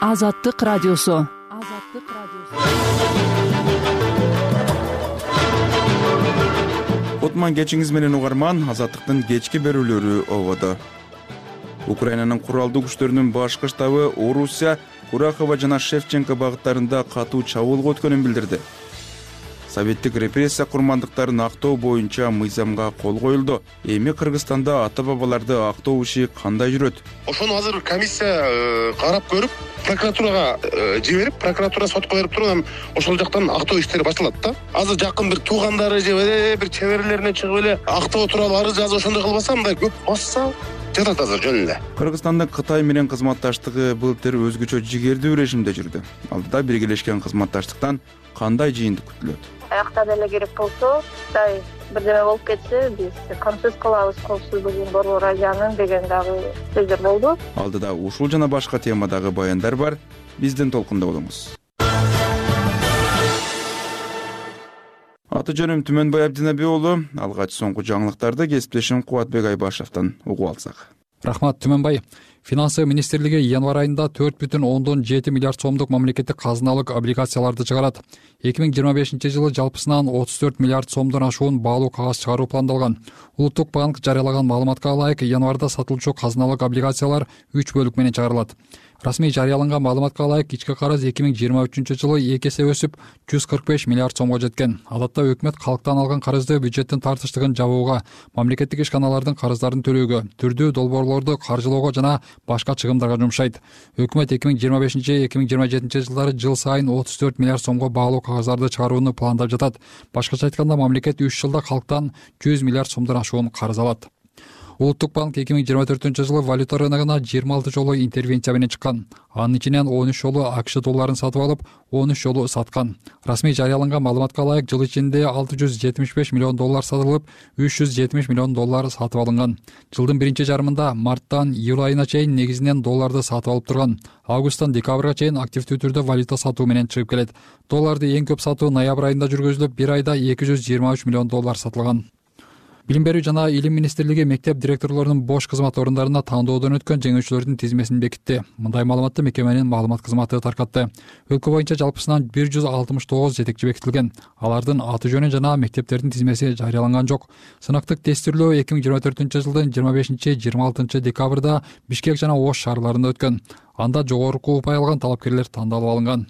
Азаттык радиосу. Кутман кечиңиз менен угарман. Азаттыктын кечки берүүлөрү ободо. Украинанын куралдуу күчтөрүнүн башкы штабы Орусия, Курахова жана Шевченко багыттарында катуу чабуулга өткөнүн билдирди. Советтик репрессия курмандыктарын актоо боюнча мыйзамга кол коюлду. Эми Кыргызстанда ата-бабаларды актоо иши кандай жүрөт? Ошону азыр комиссия карап көрүп, прокуратурага жиберип, прокуратура сотко берип туруп, анан ошол жактан актоо иштери башталат да. Азыр жакын бир туугандары же бир чеберлерине чыгып эле актоо тууралуу арыз жазып ошондой кылбаса, мындай көп басса жатат азыр жөн эле. Кыргызстандын Кытай менен кызматташтыгы былтыр өзгөчө жигердүү режимде жүрдү. Алдыда биргелешкен кызматташтыктан кандай жыйынтык күтүлөт? Аяктан эле керек болсо, Кытай бирдеме болуп кетсе, биз камсыз кылабыз коопсуздугун борбор Азиянын деген дагы сөздөр болду. Алдыда ушул жана башка темадагы баяндар бар. Биздин толкунда болуңуз. Аты жөнүм Түмөнбай Абдинаби уулу. Алгач соңку жаңылыктарды кесиптешим Кубатбек Айбашевден угуп алсак. Рахмат, Түмөнбай. Финансы министрлиги январь айында 4,7 миллиард сомдук мамлекеттик казыналык облигацияларды чыгарат. 2025 жылы жалпысынан 34 миллиард сомдон ашуун баалуу кагаз чыгаруу пландалган. Улуттук банк жарыялаган маалыматка ылайык, январда сатылчу казыналык облигациялар 3 бөлүк менен чыгарылат. Расмий жарыяланган маалыматка ылайык, ички карыз 2023 жылы 2 эсе өсүп 145 миллиард сомго жеткен. Адатта өкмөт калктан алган карызды бюджеттин тартыштыгын жабууга, мамлекеттик ишканалардын карыздарын төлөөгө, түрдүү долбоорлорду каржылоого жана башка чыгымдарга жумшайт. Өкмөт 2025-2027 жылдары жыл сайын 34 миллиард сомго баалуу кагаздарды чыгарууну пландап жатат. Башкача айтканда, мамлекет 3 жылда калктан 100 миллиард сомдон ашуун карыз алат. Улуттук банк 2024 жылы валюта рыногуна 26 жолу интервенция менен чыккан. Анын ичинен 13 жолу АКШ долларын сатып алып, 13 жолу саткан. Расмий жарыяланган маалыматка ылайык, жыл ичинде 675 миллион доллар сатылып, 370 миллион доллар сатып алынган. Жылдын биринчи жарымында марттан июль айына чейин негизинен долларды сатып алып турган. Августтан декабрга чейин активдүү түрдө валюта сатуу менен чыгып келет. Долларды эң көп сатуу ноябрь айында жүргүзүлүп, бир айда 223 миллион доллар сатылган. Билим берүү жана илим министрлиги мектеп директорлорунун бош кызмат орундарына тандоодон өткөн жеңүүчүлөрдүн тизмесин бекитти. Мындай маалыматты мекеменин маалымат кызматы таркатты. Өлкө боюнча жалпысынан 169 жетекчи бекитилген. Алардын аты жөнү жана мектептердин тизмеси жарыяланган жок. Сынактык тестирлөө 2024 жылдын 25-26 декабрда Бишкек жана Ош шаарларында өткөн. Анда жогорку упай алган талапкерлер тандалып алынган.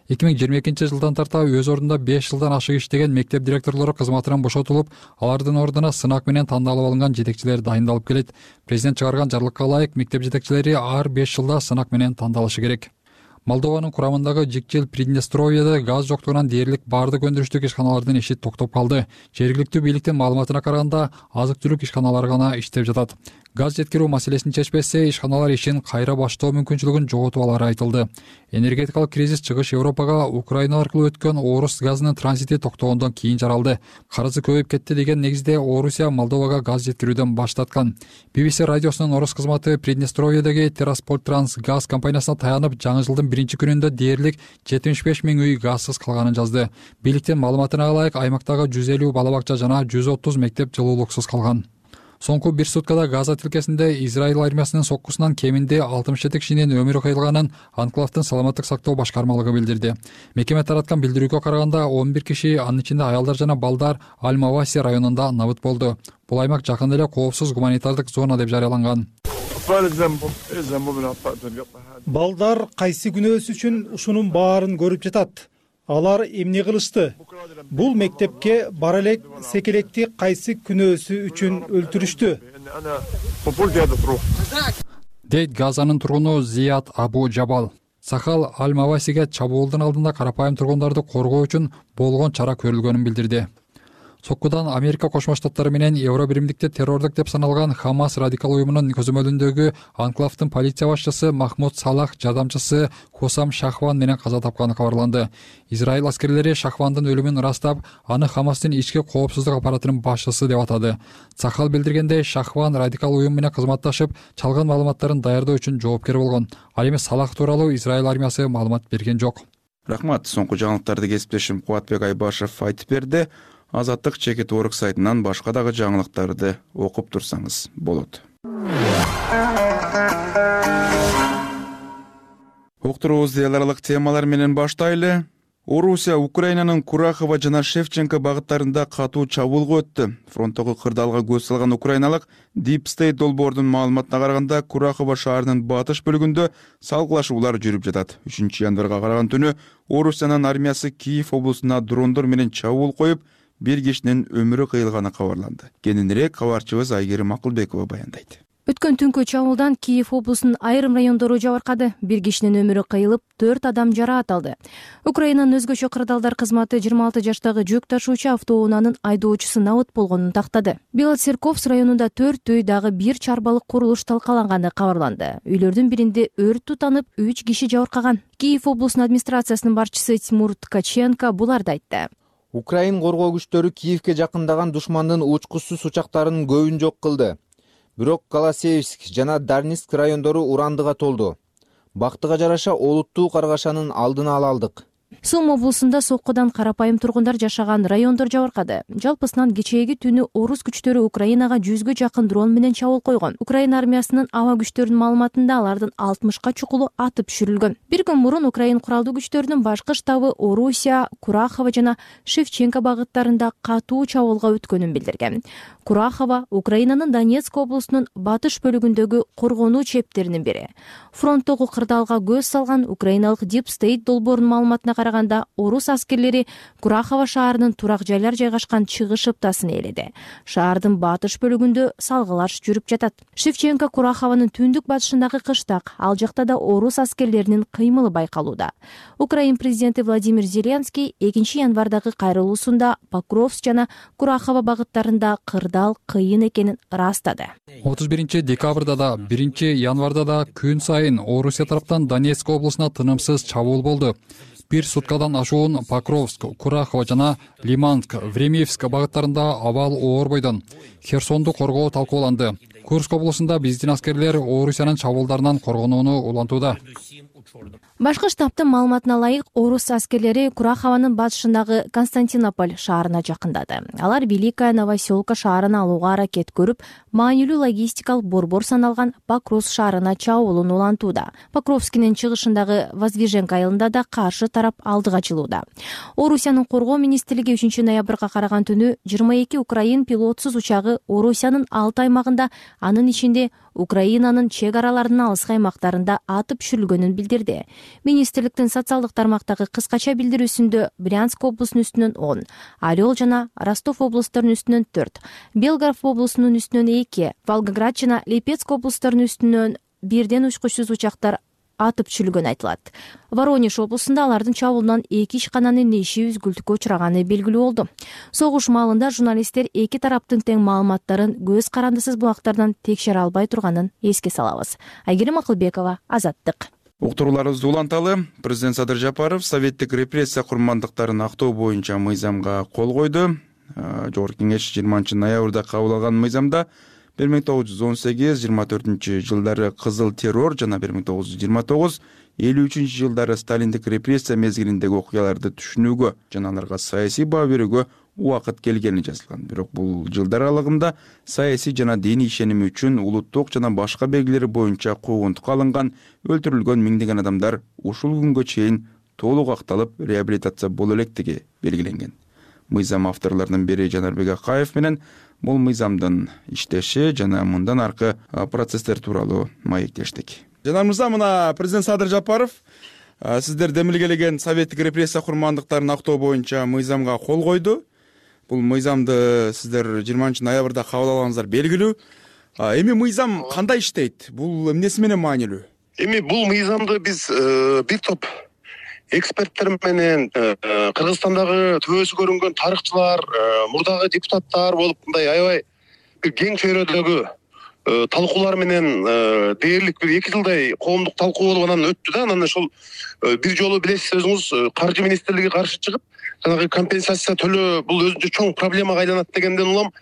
2022 жылдан тарта өз ордунда 5 жылдан ашык иштеген мектеп директорлору кызматынан бошотулуп, алардын ордуна сынак менен тандалып алынган жетекчилер дайындалып келет. Президент чыгарган жарлыкка ылайык, мектеп жетекчилери ар 5 жылда сынак менен тандалышы керек. Молдованын курамындагы Жикчил Приднестровьеде газ жоктугунан дээрлик баардык өндүрүштүк ишканалардын иши токтоп калды. Жергиликтүү бийликтин маалыматына караганда, азык-түлүк ишканалары гана иштеп жатат. Газ жеткирүү маселесин чечпесе, ишканалар ишин кайра баштоо мүмкүнчүлүгүн жоготуп алары айтылды. Энергетикалык кризис чыгыш Европага Украина аркылуу өткөн Орус газынын транзити токтогондон кийин жаралды. Карызы көбөйүп кетти деген негизде Орусия Молдовага газ жеткирүүдөн баш тарткан. BBC радиосунун орус кызматы Приднестровьедеги Терраспольтранс газ компаниясына таянып, жаңы жылдын биринчи күнүндө дээрлик 75 000 үй газсыз калганын жазды. Бийликтин маалыматына ылайык, аймактагы 150 бала бакча жана 130 мектеп жылуулуксуз калган. Соңку бир суткада Газа тилкесинде Израиль армиясынын соккусунан кеминде 67 кишинин өмүрү кыйылганын Анклавдын саламаттык сактоо башкармалыгы билдирди. Мекеме тараткан билдирүүгө караганда, 11 киши, анын ичинде аялдар жана балдар Аль-Маваси районунда набыт болду. Бул аймак жакын эле коопсуз гуманитардык зона деп жарыяланган. Балдар кайсы күнөөсү үчүн ушунун баарын көрүп жатат. Алар эмне кылышты? Бул мектепке бара элек секелекти кайсы күнөөсү үчүн өлтүрүштү? Дейт Газанын тургуну Зият Абу Жабал. Сахал Аль-Мавасиге чабуулдун алдында карапайым тургундарды коргоо үчүн болгон чара көрүлгөнүн билдирди. Соккудан Америка Кошмо Штаттары менен Евро биримдикте террордук деп саналган Хамас радикал уюмунун көзөмөлүндөгү Анклавдын полиция башчысы Махмуд Салах жардамчысы Хосам Шахван менен каза тапканы кабарланды. Израиль аскерлери Шахвандын өлүмүн ырастап, аны Хамастын ички коопсуздук аппаратынын башчысы деп атады. Сахал билдиргендей, Шахван радикал уюм менен кызматташып, чалган маалыматтарын даярдоо үчүн жоопкер болгон. Ал эми Салах тууралуу Израиль армиясы маалымат берген жок. Рахмат. Соңку жаңылыктарды кесиптешим Кубатбек Айбашев айтып берди. Азаттык чекит орг сайтынан башка дагы жаңылыктарды окуп турсаңыз болот. Уктуруубузду эл аралык темалар менен баштайлы. Орусия Украинанын Курахова жана Шевченко багыттарында катуу чабуулга өттү. Фронттогу кырдаалга көз салган украиналык Deep State долбоордун маалыматына караганда, Курахова шаарынын батыш бөлүгүндө салгылашуулар жүрүп жатат. 3 январга караган түнү Орусиянын армиясы Киев облусуна дрондор менен чабуул коюп, бир кишинин өмүрү кыйылганы кабарланды. Кененирээк кабарчыбыз Айгерим Акылбекова баяндайт. Өткөн түнкү чабуулдан Киев облусунун айрым райондору жабыркады. Бир кишинин өмүрү кыйылып, 4 адам жараат алды. Украинанын өзгөчө кырдаалдар кызматы 26 жаштагы жүк ташуучу автоунаанын айдоочусу набыт болгонун тактады. Белоцерковск районунда 4 үй дагы бир чарбалык курулуш талкаланганы кабарланды. Үйлөрдүн биринде өрт тутанып, 3 киши жабыркаган. Киев облусунун администрациясынын башчысы Тимур Ткаченко буларды айтты. Украин коргоо күчтөрү Киевке жакындаган душмандын учкучсуз учактарынын көбүн жок кылды. Бирок Колосеевск жана Дарницк райондору урандыга толду. Бактыга жараша олуттуу каргашанын алдын ала алдык. Сум облусунда соккудан карапайым тургундар жашаган райондор жабыркады. Жалпысынан кечээги түнү орус күчтөрү Украинага 100гө жакын дрон менен чабуул койгон. Украина армиясынын аба күчтөрүнүн маалыматында алардын 60ка чукулу атып түшүрүлгөн. Бир күн мурун Украин куралдуу күчтөрүнүн башкы штабы Орусия, Курахова жана Шевченко багыттарында катуу чабуулга өткөнүн билдирген. Курахова Украинанын Донецк облусунун батыш бөлүгүндөгү коргонуу чептеринин бири. Фронттогу кырдаалга көз салган украиналык Deep State долбоорунун маалыматына караганда, орус аскерлери Курахова шаарынын турак жайлар жайгашкан чыгыш ыптасын ээледи. Шаардын батыш бөлүгүндө салгылаш жүрүп жатат. Шевченко Курахованын түндүк батышындагы кыштак, ал жакта да орус аскерлеринин кыймылы байкалууда. Украин президенти Владимир Зеленский 2 январдагы кайрылуусунда Покровск жана Курахова багыттарында кырдаал кыйын экенин ырастады. 31 декабрда да 1 январда да күн сайын Орусия тараптан Донецк облусуна тынымсыз чабуул болду. Бир суткадан ашуун Покровск, Курахова жана Лиманск, Времиевск багыттарында абал оор бойдон. Херсонду коргоо талкууланды. Курск облусунда биздин аскерлер Орусиянын чабуулдарынан коргонууну улантууда. Башкы штабтын маалыматына ылайык, орус аскерлери Курахованын батышындагы Константинополь шаарына жакындады. Алар Великая Новоселка шаарына алууга аракет көрүп, маанилүү логистикалык борбор саналган Покровск шаарына чабуулун улантууда. Покровскинин чыгышындагы Воздвиженка айылында да каршы тарап алдыга ачылууда. Орусиянын коргоо министрлиги 3 ноябрга караган түнү 22 Украин пилотсуз учагы Орусиянын 6 аймагында, анын ичинде Украинанын чек араларынын алыскы аймактарында атып түшүрүлгөнүн билдирди. Министрликтин социалдык тармактагы кыскача билдирүүсүндө Брянск облусунун үстүнөн 10, Орел жана Ростов облустарынын үстүнөн 4, Белгород облусунун үстүнөн 2, Волгоград жана Липецк облустарынын үстүнөн 1ден учкучсуз учактар атып түшүрүлгөнү айтылат. Воронеж облусунда алардын чабуулунан 2 ишкананын иши үзгүлтүккө учураганы белгилүү болду. Согуш маалында журналисттер эки тараптын тең маалыматтарын көз карандысыз булактардан текшере албай турганын эске салабыз. Айгерим Акылбекова, Азаттык. Уктурууларыбызды уланталы. Президент Садыр Жапаров советтик репрессия курмандыктарын актоо боюнча мыйзамга кол койду. Жогорку кеңеш 20 ноябрда кабыл алган мыйзамда 1918-24 жылдары кызыл террор жана 1929-53 жылдары сталиндик репрессия мезгилиндеги окуяларды түшүнүүгө жана аларга саясий баа берүүгө убакыт келгени жазылган. Бирок бул жылдар аралыгында саясий жана диний ишеними үчүн улуттук жана башка белгилери боюнча куугунтукка алынган, өлтүрүлгөн миңдеген адамдар ушул күнгө чейин толук акталып, реабилитация боло электиги белгиленген. Мыйзам авторлорунун бири Жанарбек Акаев менен бул мыйзамдын иштеши жана мындан аркы процесстер тууралуу маектештик. Жанар мырза, мына президент Садыр Жапаров сиздер демилгелеген советтик репрессия курмандыктарын актоо боюнча мыйзамга кол койду. Бул мыйзамды сиздер 20 ноябрда кабыл алганыңыздар белгилүү. Эми мыйзам кандай иштейт? Бул эмнеси менен маанилүү? Эми бул мыйзамды биз бир топ эксперттер менен Кыргызстандагы төбөсү көрүнгөн тарыхчылар, мурдагы депутаттар болуп мындай аябай бир кең чөйрөдөгү талкуулар менен дээрлик бир 2 жылдай коомдук талкуу болуп анан өттү да. Анан ошол бир жолу билесиз өзүңүз, каржы министрлиги каршы чыгып, жанагы компенсация төлөө бул өзүнчө чоң проблемага айланат дегенден улам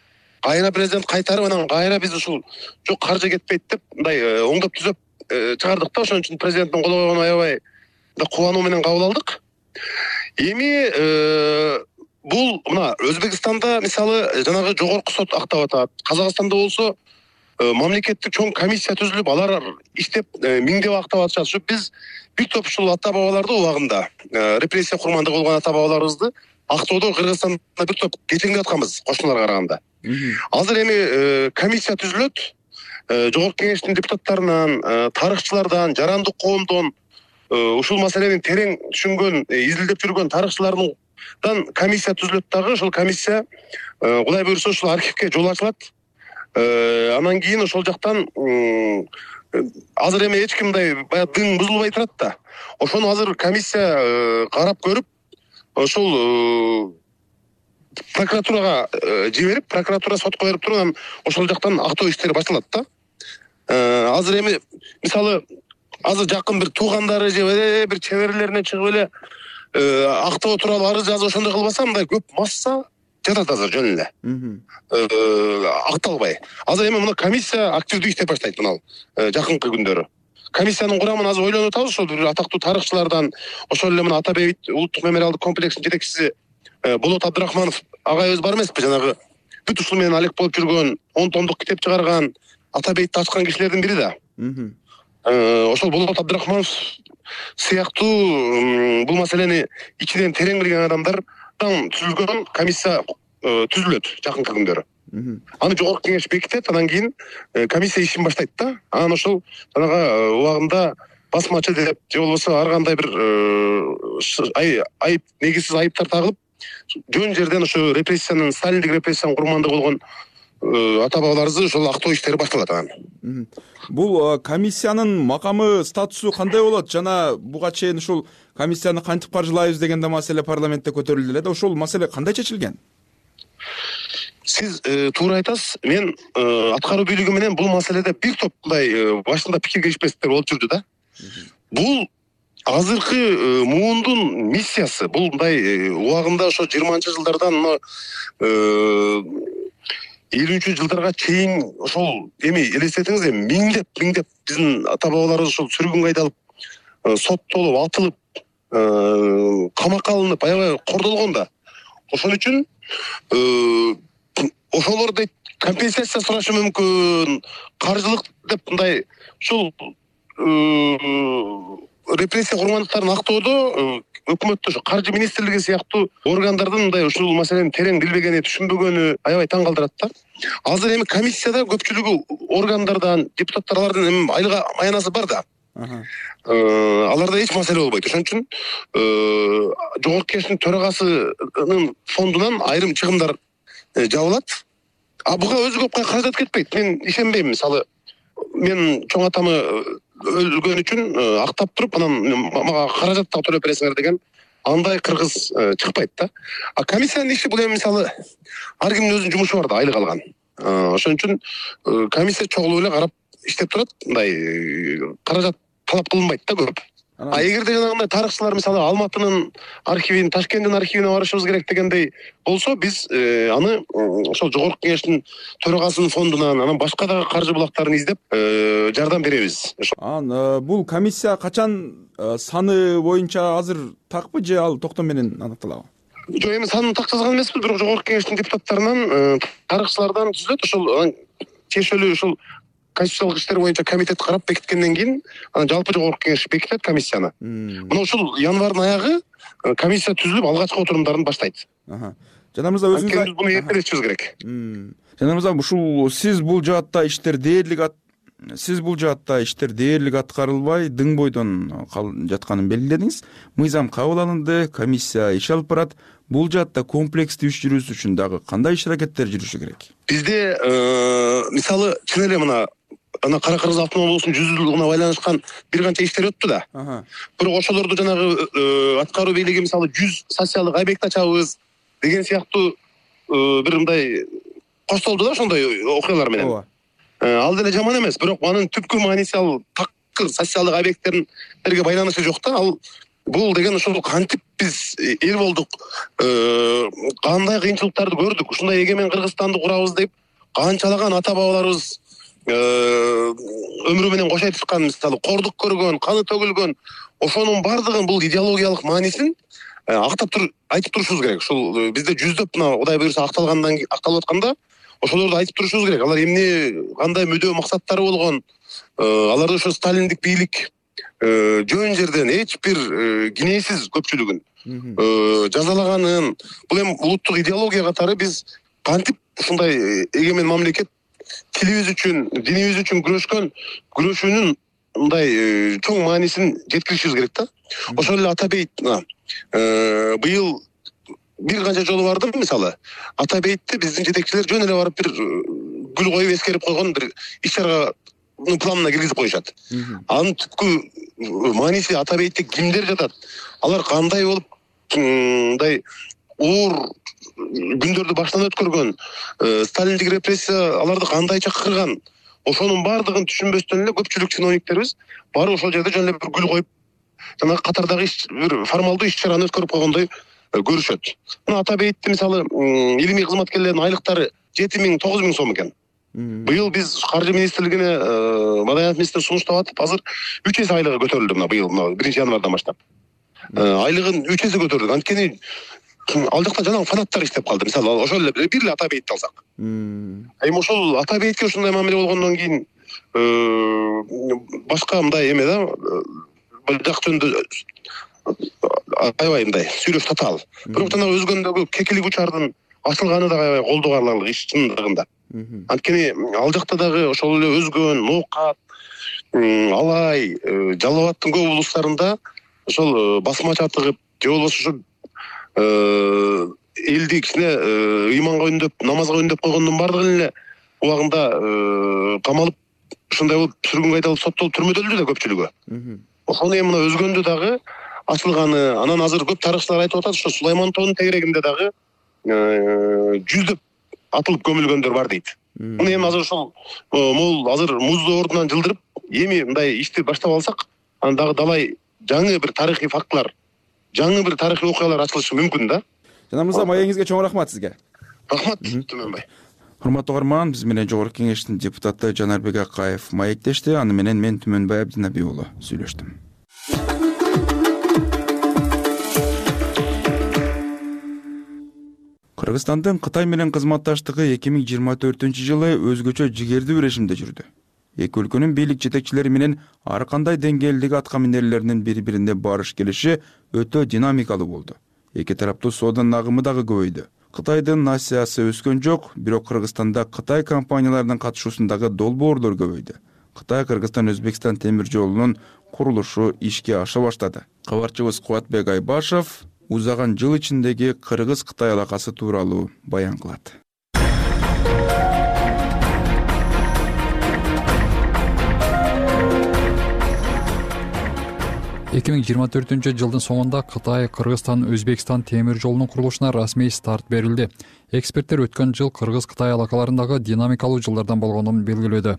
кайра президент кайтарып, анан кайра биз ушул жок каржы кетпейт деп мындай оңдоп түзөп чыгардык да. Ошон үчүн президенттин кол койгонун аябай кубануу менен кабыл алдык. Эми бул мына Өзбекстанда мисалы жанагы жогорку сот актап атат. Казакстанда болсо мамлекеттик чоң комиссия түзүлүп, алар иштеп миңдеп актап атышат. Ушу биз бир топ ушул ата бабаларды убагында репрессия курмандыгы болгон ата бабаларыбызды Актоодо, Кыргызстанда бир топ кечеңдеп атканбыз кошуналарга караганда. Азыр эми комиссия түзүлөт. Жогорку Кеңештин депутаттарынан, тарыхчылардан, жарандык коомдон, ушул маселени терең түшүнгөн, изилдеп жүргөн тарыхчылардан комиссия түзүлөт дагы. Ошол комиссия Кудай буйрса ушул архивге жол ачылат. Анан кийин ошол жактан азыр эми эч ким мындай баягы дың бузулбай турат да. Ошону азыр комиссия карап көрүп, ошол прокуратурага жиберип, прокуратура сотко берип туруп, анан ошол жактан актоо иштери башталат да. Азыр эми мисалы азыр жакын бир туугандары же бир чеберлерине чыгып эле актоо тууралуу арыз жазып ошондой кылбаса, мындай көп масса жатат азыр жөн эле. Акталбай. Азыр эми мына комиссия активдүү иштеп баштайт мына жакынкы күндөрү. Комиссиянын курамын азыр ойлонуп атабыз, ошол бир атактуу тарыхчылардан, ошол эле мына Ата Бейит улуттук мемориалдык комплексинин жетекчиси Болот Абдрахманов агайыбыз бар эмеспи, жанагы бүт ушул менен алек болуп жүргөн, 10 томдук китеп чыгарган, Ата Бейтти ачкан кишилердин бири да. Ошол Болот Абдрахманов сыяктуу бул маселени ичинен терең билген адамдардан түзүлгөн комиссия түзүлөт жакынкы күндөрү. Аны жогорку кеңеш бекитет, анан кийин комиссия ишин баштайт да. Анан ошол жанагы убагында басмачы деп же болбосо ар кандай бир айып, негизсиз айыптар тагылып, жөн жерден ошо репрессиянын, сталиндик репрессиянын курмандыгы болгон ата бабаларыбызды ошол актоо иштери башталат анан. Бул комиссиянын макамы, статусу кандай болот? Жана буга чейин ушул комиссияны кантип каржылайбыз деген да маселе парламентте көтөрүлдү эле да. Ошол маселе кандай чечилген? Сиз туура айтасыз. Мен аткаруу бийлиги менен бул маселеде бир топ мындай башында пикир келишпестиктер болуп жүрдү да. Бул азыркы муундун миссиясы. Бул мындай убагында ошо 20-жылдардан 50-жылдарга чейин ошол эми элестетиңиз, эми миңдеп биздин ата бабаларыбыз ошол сүргүнгө айдалып, соттолуп, атылып, камакка алынып, аябай кордолгон да. Ошон үчүн ошолор дейт компенсация сурашы мүмкүн, каржылык деп мындай ушул репрессия курмандыктарын актоодо өкмөттө ошо каржы министрлиги сыяктуу органдардын мындай ушул маселени терең билбегени, түшүнбөгөнү аябай таң калтырат да. Азыр эми комиссияда көпчүлүгү органдардан, депутаттарлардын эми айлык аянасы бар да. Аларда эч маселе болбойт. Ошон үчүн жогорку кеңештин төрагасынын фондунан айрым чыгымдар жабылат. Буга өзү көп каражат кетпейт. Мен ишенбейм. Мисалы, мен чоң атамы өлгөн үчүн актап туруп, анан мага каражат да төлөп бересиңер деген андай кыргыз чыкпайт да. Комиссиянын иши бул эми мисалы ар кимдин өзүнүн жумушу бар да, айлык алган. Ошон үчүн комиссия чогулуп эле карап иштеп турат. Мындай каражат талап кылынбайт да көп. Эгерде жанагындай тарыхчылар мисалы Алматынын архивин, Ташкенттин архивине барышыбыз керек дегендей болсо, биз аны ошол жогорку кеңештин төрагасынын фондунан, анан башка дагы каржы булактарын издеп жардам беребиз. Бул комиссия качан саны боюнча азыр такпы же ал токтом менен аныкталабы? Жок, эми санын так жазган эмеспиз, бирок жогорку кеңештин депутаттарынан, тарыхчылардан түзүлөт. Ошол тиешелүү ушул конституциялык иштер боюнча комитет карап бекиткенден кийин анан жалпы жогорку кеңеш бекитет комиссияны. Мына ушул январдын аягы комиссия түзүлүп алгачкы отурумдарын баштайт. Жана мырза, өзүңүз буну эртелешибиз керек. Жана мырза, ушул сиз бул жаатта иштер дээрлик аткарылбай дың бойдон жатканын белгиледиңиз. Мыйзам кабыл алынды, комиссия иш алып барат. Бул жаатта комплекстүү иш жүрүүсү үчүн дагы кандай иш аракеттер жүрүшү керек? Бизде мисалы чын эле мына Кара Кыргыз автономдук облусунун 100-жылдыгына байланышкан бир канча иштер өттү да. Бирок ошолорду жанагы аткаруу бийлиги мисалы 100 социалдык объект ачабыз деген сыяктуу бир мындай коштолду да ошондой окуялар менен. Ал деле жаман эмес, бирок анын түпкү мааниси ал такыр социалдык объекттерге байланышы жок да. Ал бул деген ошол кантип биз эл болдук, кандай кыйынчылыктарды көрдүк, ушундай эгемен Кыргызстанды курабыз деп канчалаган ата бабаларыбыз өмүрү менен кош айтышкан, мисалы кордук көргөн, каны төгүлгөн, ошонун бардыгын бул идеологиялык маанисин айтып турушубуз керек. Ушул бизде жүздөп мына Кудай буйрса акталып атканда ошолорду айтып турушубуз керек. Алар эмне, кандай мүдөө максаттары болгон, аларды ошо сталиндик бийлик жөн жерден эч бир кинээсиз көпчүлүгүн жазалаганын, бул эми улуттук идеология катары биз кантип ушундай эгемен мамлекет тилибиз үчүн, динибиз үчүн күрөшүүнүн мындай чоң маанисин жеткиришибиз керек да. Ошол эле Ата бейит быйыл бир канча жолу бардым. Мисалы, Ата бейтте биздин жетекчилер жөн эле барып бир гүл коюп эскерип койгон бир иш-чарага планына киргизип коюшат. Анын түпкү мааниси Ата бейтте кимдер жатат, алар кандай болуп мындай оор күндөрдү баштан өткөргөн, сталиндик репрессия аларды кандайча кырган, ошонун баардыгын түшүнбөстөн эле көпчүлүк чиновниктерибиз барып ошол жерде жөн эле бир гүл коюп, жана катардагы бир формалдуу иш-чараны өткөрүп койгондой көрүшөт. Мына Ата бейтте мисалы илимий кызматкерлердин айлыктары 7.000–9.000 сом экен. Быйыл биз Каржы министрлигине Маданият министри сунуштап атып, азыр 3 эсе айлыгы көтөрүлдү. Мына быйыл 1-январдан баштап айлыгын 3 эсе көтөрдүк. Анткени ал жакта жанагы фанаттар иштеп калды. Мисалы ошол эле бир эле Ата бейтти алсак, эми ошол Ата бейтке ушундай мамиле болгондон кийин башка мындай эме да, жак жөнүндө аябай мындай сүйлөш татаал. Бирок жанагы өзгөндөгү кекилик учардын ачылганы да аябай колдоо аларлык иш чындыгында. Анткени ал жакта дагы ошол эле өзгөн, ноокат, алай, Жалал Абадтын көп облустарында ошол басмача тыгып, же болбосо ошо элди кичине ыйманга үндөп, намазга үндөп койгондун баардыгын эле убагында камалып, ушундай болуп сүргүнгө айдалып соттолуп түрмөдөлдү да көпчүлүгү. Ошону эми мына өзгөндө дагы ачылганы, анан азыр көп тарыхчылар айтып атат, ошо Сулайман тоонун тегерегинде дагы жүздөп атылып көмүлгөндөр бар дейт. Муну эми азыр ошол могул азыр муздуу ордунан жылдырып, эми мындай ишти баштап алсак, анан дагы далай жаңы бир тарыхый фактылар, жаңы бир тарыхый окуялар ачылышы мүмкүн да. Жана мырза, маегиңизге чоң рахмат сизге. Рахмат, Түмөнбай. Урматтуу угарман, биз менен Жогорку Кеңештин депутаты Жанарбек Акаев маектешти. Аны менен мен Түмөнбай Абдинаби уулу сүйлөштүм. Кыргызстандын Кытай менен кызматташтыгы 2024-жылы өзгөчө жигердүү режимде жүрдү. Эки өлкөнүн бийлик жетекчилери менен ар кандай деңгээлдеги атка минерлеринин бири-бирине барыш келиши өтө динамикалуу болду. Эки тараптуу соодонун агымы дагы көбөйдү. Кытайдын насыясы өскөн жок, бирок Кыргызстанда Кытай компанияларынын катышуусундагы долбоорлор көбөйдү. Кытай Кыргызстан-Өзбекстан темир жолунун курулушу ишке аша баштады. Кабарчыбыз Кубатбек Айбашев узаган жыл ичиндеги Кыргыз-Кытай алакасы тууралуу баян кылат. 2024-жылдын соңунда Кытай, Кыргызстан, Өзбекстан темир жолунун курулушуна расмий старт берилди. Эксперттер өткөн жыл Кыргыз-Кытай алакаларындагы динамикалуу жылдардан болгонун белгилөөдө.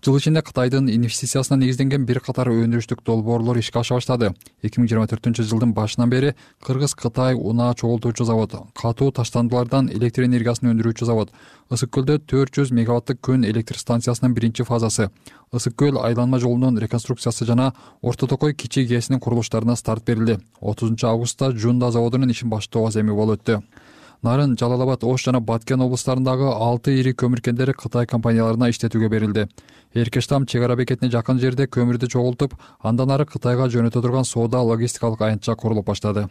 Жыл ичинде Кытайдын инвестициясына негизденген бир катар өндүрүштүк долбоорлор ишке аша баштады. 2024-жылдын башынан бери Кыргыз-Кытай унаа чогултуучу завод, катуу таштандылардан электр энергиясын өндүрүүчү завод, Ысык көлдө 400 мегаваттык күн электр станциясынын биринчи фазасы, Ысык көл айланма жолунун реконструкциясы жана Орто Токой кичи ГЭСинин курулуштарына старт берилди. 30-августта Жунда заводунун ишин баштоо аземи болуп өттү. Нарын, Жалал Абад, Ош жана Баткен облустарындагы 6 ири көмүр кендери Кытай компанияларына иштетүүгө берилди. Эркештам чек ара бекетине жакын жерде көмүрдү чогултуп, андан ары Кытайга жөнөтө турган соода логистикалык аянтча курулуп баштады.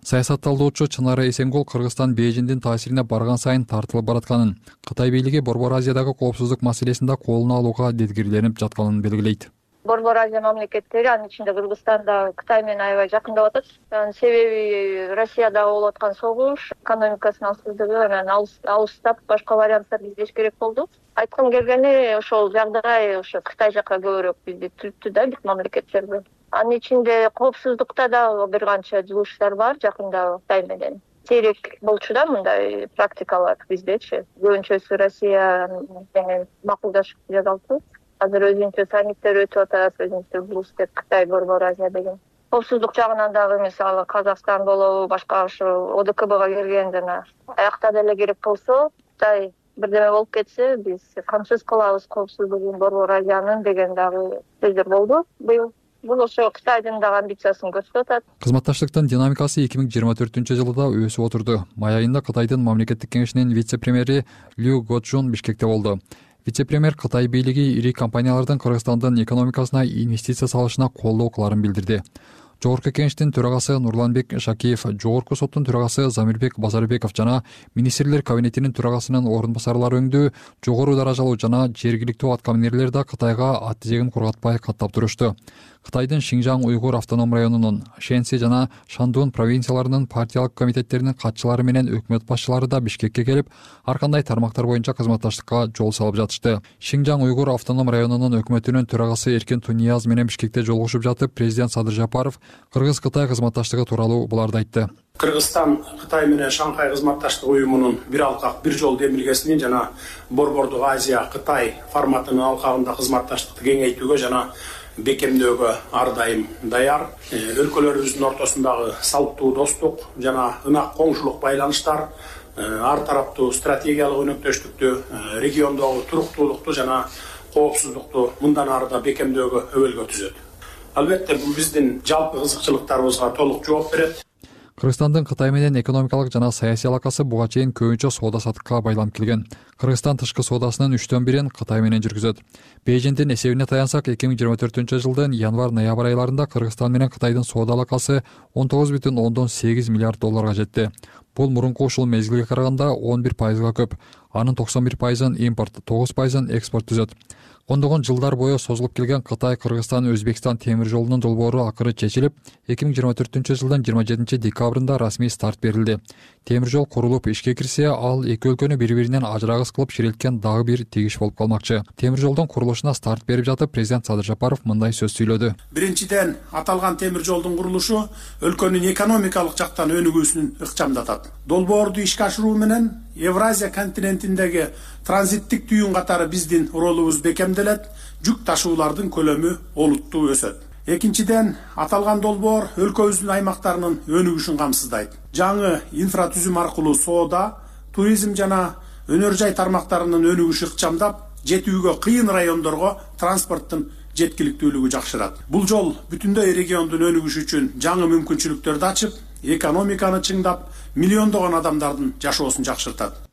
Саясат талдоочу Чынара Эсенгул Кыргызстан Бейжиңдин таасирине барган сайын тартылып баратканын, Кытай бийлиги Борбор Азиядагы коопсуздук маселесинде колуна алууга деткирленип жатканын белгилейт. Борбор Азия мамлекеттери, анын ичинде Кыргызстан да Кытай менен аябай жакындап атат. Себеби Россияда болуп аткан согуш, экономикасынын алсыздыгы, анан алыстап башка варианттар издеш керек болду. Айткым келгени, ошол жагдай ошо Кытай жака көбүрөөк бизди түрттү да, бир мамлекеттерди. Анын ичинде коопсуздукта да бир канча жылыштар бар жакында Кытай менен. Сейрек болчу да мындай практикалар биздечи. Көбүнчөсү Россия менен макулдашып жасалчу. Азыр өзүнчө саммиттер өтүп атат, өзүнчө блустер Кытай, Борбор Азия деген. Коопсуздук жагынан дагы мисалы Казакстан болобу, башка ошо ОДКБга келген жана аякта деле керек болсо, Кытай бирдеме болуп кетсе, биз камсыз кылабыз коопсуздугун Борбор Азиянын деген дагы сөздөр болду быйыл бул ошо Кытайдын дагы амбициясын көрсөтүп атат. Кызматташтыктын динамикасы 2024-жылда өсүп отурду. Май айында Кытайдын мамлекеттик кеңешинин вице-премьери Лю Гочжун Бишкекте болду. Вице-премьер Кытай бийлиги ири компаниялардын Кыргызстандын экономикасына инвестиция салышына колдоо кыларын билдирди. Жогорку кеңештин төрагасы Нурланбек Шакиев, Жогорку соттун төрагасы Замирбек Базарбеков жана министрлер кабинетинин төрагасынын орун басарлары өңдүү жогору даражалуу жана жергиликтүү аткаминерлер да Кытайга ат тизегин кургатпай каттап турушту. Кытайдын Шинжаң уйгур автоном районунун, Шэнси жана Шандун провинцияларынын партиялык комитеттеринин катчылары менен өкмөт башчылары да Бишкекке келип, ар кандай тармактар боюнча кызматташтыкка жол салып жатышты. Шинжаң уйгур автоном районунун өкмөтүнүн төрагасы Эркин Тунияз менен Бишкекте жолугушуп жатып, президент Садыр Жапаров Кыргыз-Кытай кызматташтыгы тууралуу буларды айтты. Кыргызстан Кытай менен Шанхай кызматташтык уюмунун бир алкак бир жол демилгесинин жана Борбордук Азия Кытай форматынын алкагында кызматташтыкты кеңейтүүгө жана бекемдөөгө ар дайым даяр. Өлкөлөрүбүздүн ортосундагы салттуу достук жана ынак коңшулук байланыштар ар тараптуу стратегиялык өнөктөштүктү, региондогу туруктуулукту жана коопсуздукту мындан ары да бекемдөөгө өбөлгө түзөт. Албетте бул биздин жалпы кызыкчылыктарыбызга толук жооп берет. Кыргызстандын Кытай менен экономикалык жана саясий алакасы буга чейин көбүнчө соода саттыкка байланып келген. Кыргызстан тышкы соодасынын 3/1 Кытай менен жүргүзөт. Бейжиңдин эсебине таянсак, 2024-жылдын январь-ноябрь айларында Кыргызстан менен Кытайдын соода алакасы 19,8 миллиард долларга жетти. Бул мурунку ушул мезгилге караганда 11%га көп. Анын 91%-ын импорт, 9%-ын экспорт түзөт. Ондогон жылдар бою созулуп келген Кытай-Кыргызстан-Өзбекстан темир жолунун долбоору акыры чечилип, 2024-жылдын 27-декабрында расмий старт берилди. Темир жол курулуп ишке кирсе, ал эки өлкөнү бири-биринен ажырагыс кылып ширилткен дагы бир тегиш болуп калмакчы. Темир жолдун курулушуна старт берип жатып, президент Садыр Жапаров мындай сөз сүйлөдү. Биринчиден, аталган темир жолдун курулушу өлкөнүн экономикалык жактан өнүгүүсүн ыкчамдатат. Долбоорду ишке ашыруу менен Евразия континентиндеги транзиттик түйүн катары биздин ролубуз бекемделет, жүк ташуулардын көлөмү олуттуу өсөт. Экинчиден, аталган долбоор өлкөбүздүн аймактарынын өнүгүшүн камсыздайт. Жаңы инфратүзүм аркылуу соода, туризм жана өнөр жай тармактарынын өнүгүшү ыкчамдап, жетүүгө кыйын райондорго транспорттун жеткиликтүүлүгү жакшырат. Бул жол бүтүндөй региондун өнүгүшү үчүн жаңы мүмкүнчүлүктөрдү ачып, экономиканы чыңдап, миллиондогон адамдардын жашоосун жакшыртат.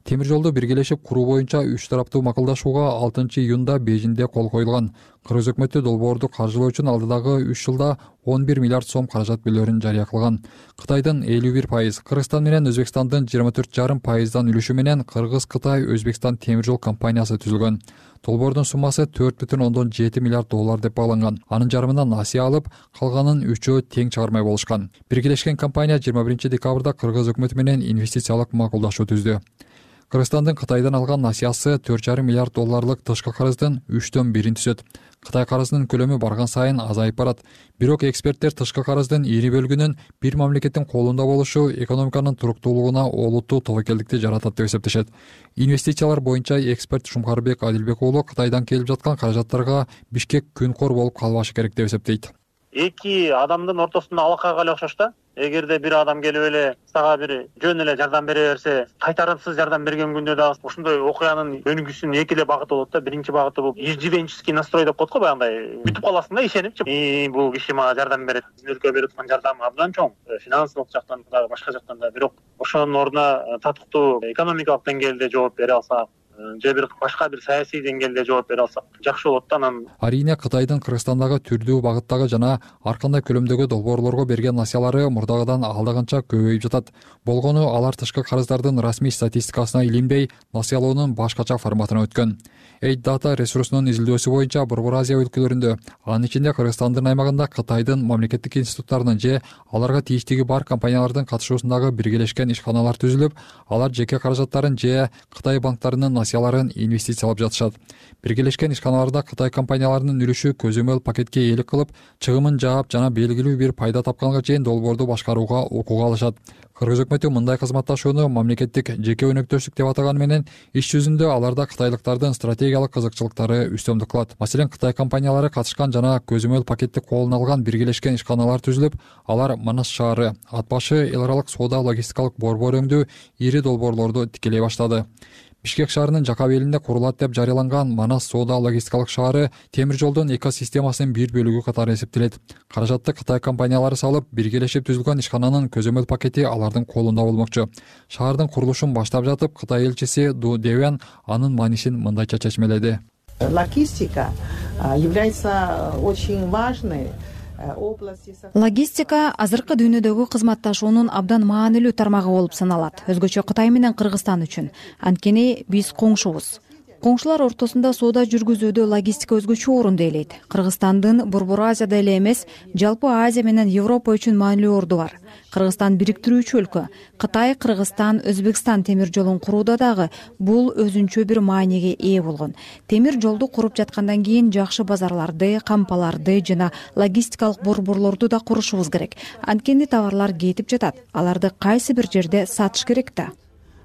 Темир жолду биргелешип куруу боюнча 3 тараптуу макулдашууга 6-июнда Бейжиңде кол коюлган. Кыргыз өкмөтү долбоорду каржылоо үчүн алдыдагы 3 жылда 11 миллиард сом каражат бөлөрүн жарыя кылган. Кытайдын 51%, Кыргызстан менен Өзбекстандын 24,5%дан үлүшү менен Кыргыз-Кытай-Өзбекстан темир жол компаниясы түзүлгөн. Долбоордун суммасы 4,7 миллиард доллар деп багланган. Анын жарымынан насыя алып, калганын 3-өө тең чыгармай болушкан. Биргелешкен компания 21-декабрда Кыргыз өкмөтү менен инвестициялык макулдашуу түздү. Кыргызстандын Кытайдан алган насыясы 4,5 миллиард долларлык тышкы карыздын 3/1 түзөт. Кытай карызынын көлөмү барган сайын азайып барат. Бирок эксперттер тышкы карыздын ири бөлүгүнүн бир мамлекеттин колунда болушу экономиканын туруктуулугуна олуттуу тобокелдикти жаратат деп эсептешет. Инвестициялар боюнча эксперт Шумкарбек Адилбек уулу Кытайдан келип жаткан каражаттарга Бишкек күнкор болуп калбашы керек деп эсептейт. Эки адамдын ортосунда алакага эле окшош да. Эгерде бир адам келип эле сага бир жөн эле жардам бере берсе, кайтарымсыз жардам берген күндө дагы ушундай окуянын өнүгүүсүнүн эки эле багыты болот да. Биринчи багыты бул иждивенческий настрой деп коет го, баягындай күтүп каласың да ишенип, бул киши мага жардам берет. Биздин өлкөгө берип аткан жардам абдан чоң, финансылык жактан дагы башка жактан да. Бирок ошонун ордуна татыктуу экономикалык деңгээлде жооп бере алса, же бир башка бир саясий деңгээлде жооп бере алсак жакшы болот да. Анан Арине Кытайдын Кыргызстандагы түрдүү багыттагы жана ар кандай көлөмдөгү долбоорлорго берген насыялары мурдагыдан алда көбөйүп жатат. Болгону алар тышкы карыздардын расмий статистикасына илинбей, насыялоонун башкача форматына өткөн. Aid Data ресурсунун изилдөөсү боюнча Борбор Азия өлкөлөрүндө, анын ичинде Кыргызстандын аймагында Кытайдын мамлекеттик институттарынын же аларга тийиштиги бар компаниялардын катышуусундагы биргелешкен ишканалар түзүлүп, алар жеке каражаттарын же Кытай банктарынын насыяларын инвестициялап жатышат. Биргелешкен ишканаларда Кытай компанияларынын үлүшү көзөмөл пакетке ээлик кылып, чыгымын жаап жана белгилүү бир пайда тапканга чейин долбоорду башкарууга укук алышат. Кыргыз өкмөтү мындай кызматташууну мамлекеттик жеке өнөктөштүк деп атаганы менен иш жүзүндө аларда кытайлыктардын стратегиялык кызыкчылыктары үстөмдүк кылат. Маселен, Кытай компаниялары катышкан жана көзөмөл пакетти колуна алган биргелешкен ишканалар түзүлүп, алар Манас шаары, Ат башы эл аралык соода логистикалык борбор өңдүү ири долбоорлорду тикелей баштады. Бишкек шаарынын жака белинде курулат деп жарыяланган Манас соода логистикалык шаары темир жолдун экосистемасынын бир бөлүгү катары эсептелет. Каражатты Кытай компаниялары салып, биргелешип түзүлгөн ишкананын көзөмөл пакети алардын колунда болмокчу. Шаардын курулушун баштап жатып, Кытай элчиси Ду Девян анын маанисин мындайча чечмеледи. Логистика является очень важной. Логистика азыркы дүйнөдөгү кызматташуунун абдан маанилүү тармагы болуп саналат. Өзгөчө Кытай менен Кыргызстан үчүн. Анткени биз коңшубуз. Коңшулар ортосунда соода жүргүзүүдө логистика өзгөчө орунду ээлейт. Кыргызстандын Борбор Азияда эле эмес, жалпы Азия менен Европа үчүн маанилүү орду бар. Кыргызстан бириктирүүчү өлкө. Кытай, Кыргызстан, Өзбекстан темир жолун курууда дагы бул өзүнчө бир мааниге ээ болгон. Темир жолду куруп жаткандан кийин жакшы базарларды, кампаларды жана логистикалык борборлорду да курушубуз керек. Анткени товарлар кетип жатат. Аларды кайсы бир жерде сатыш керек да.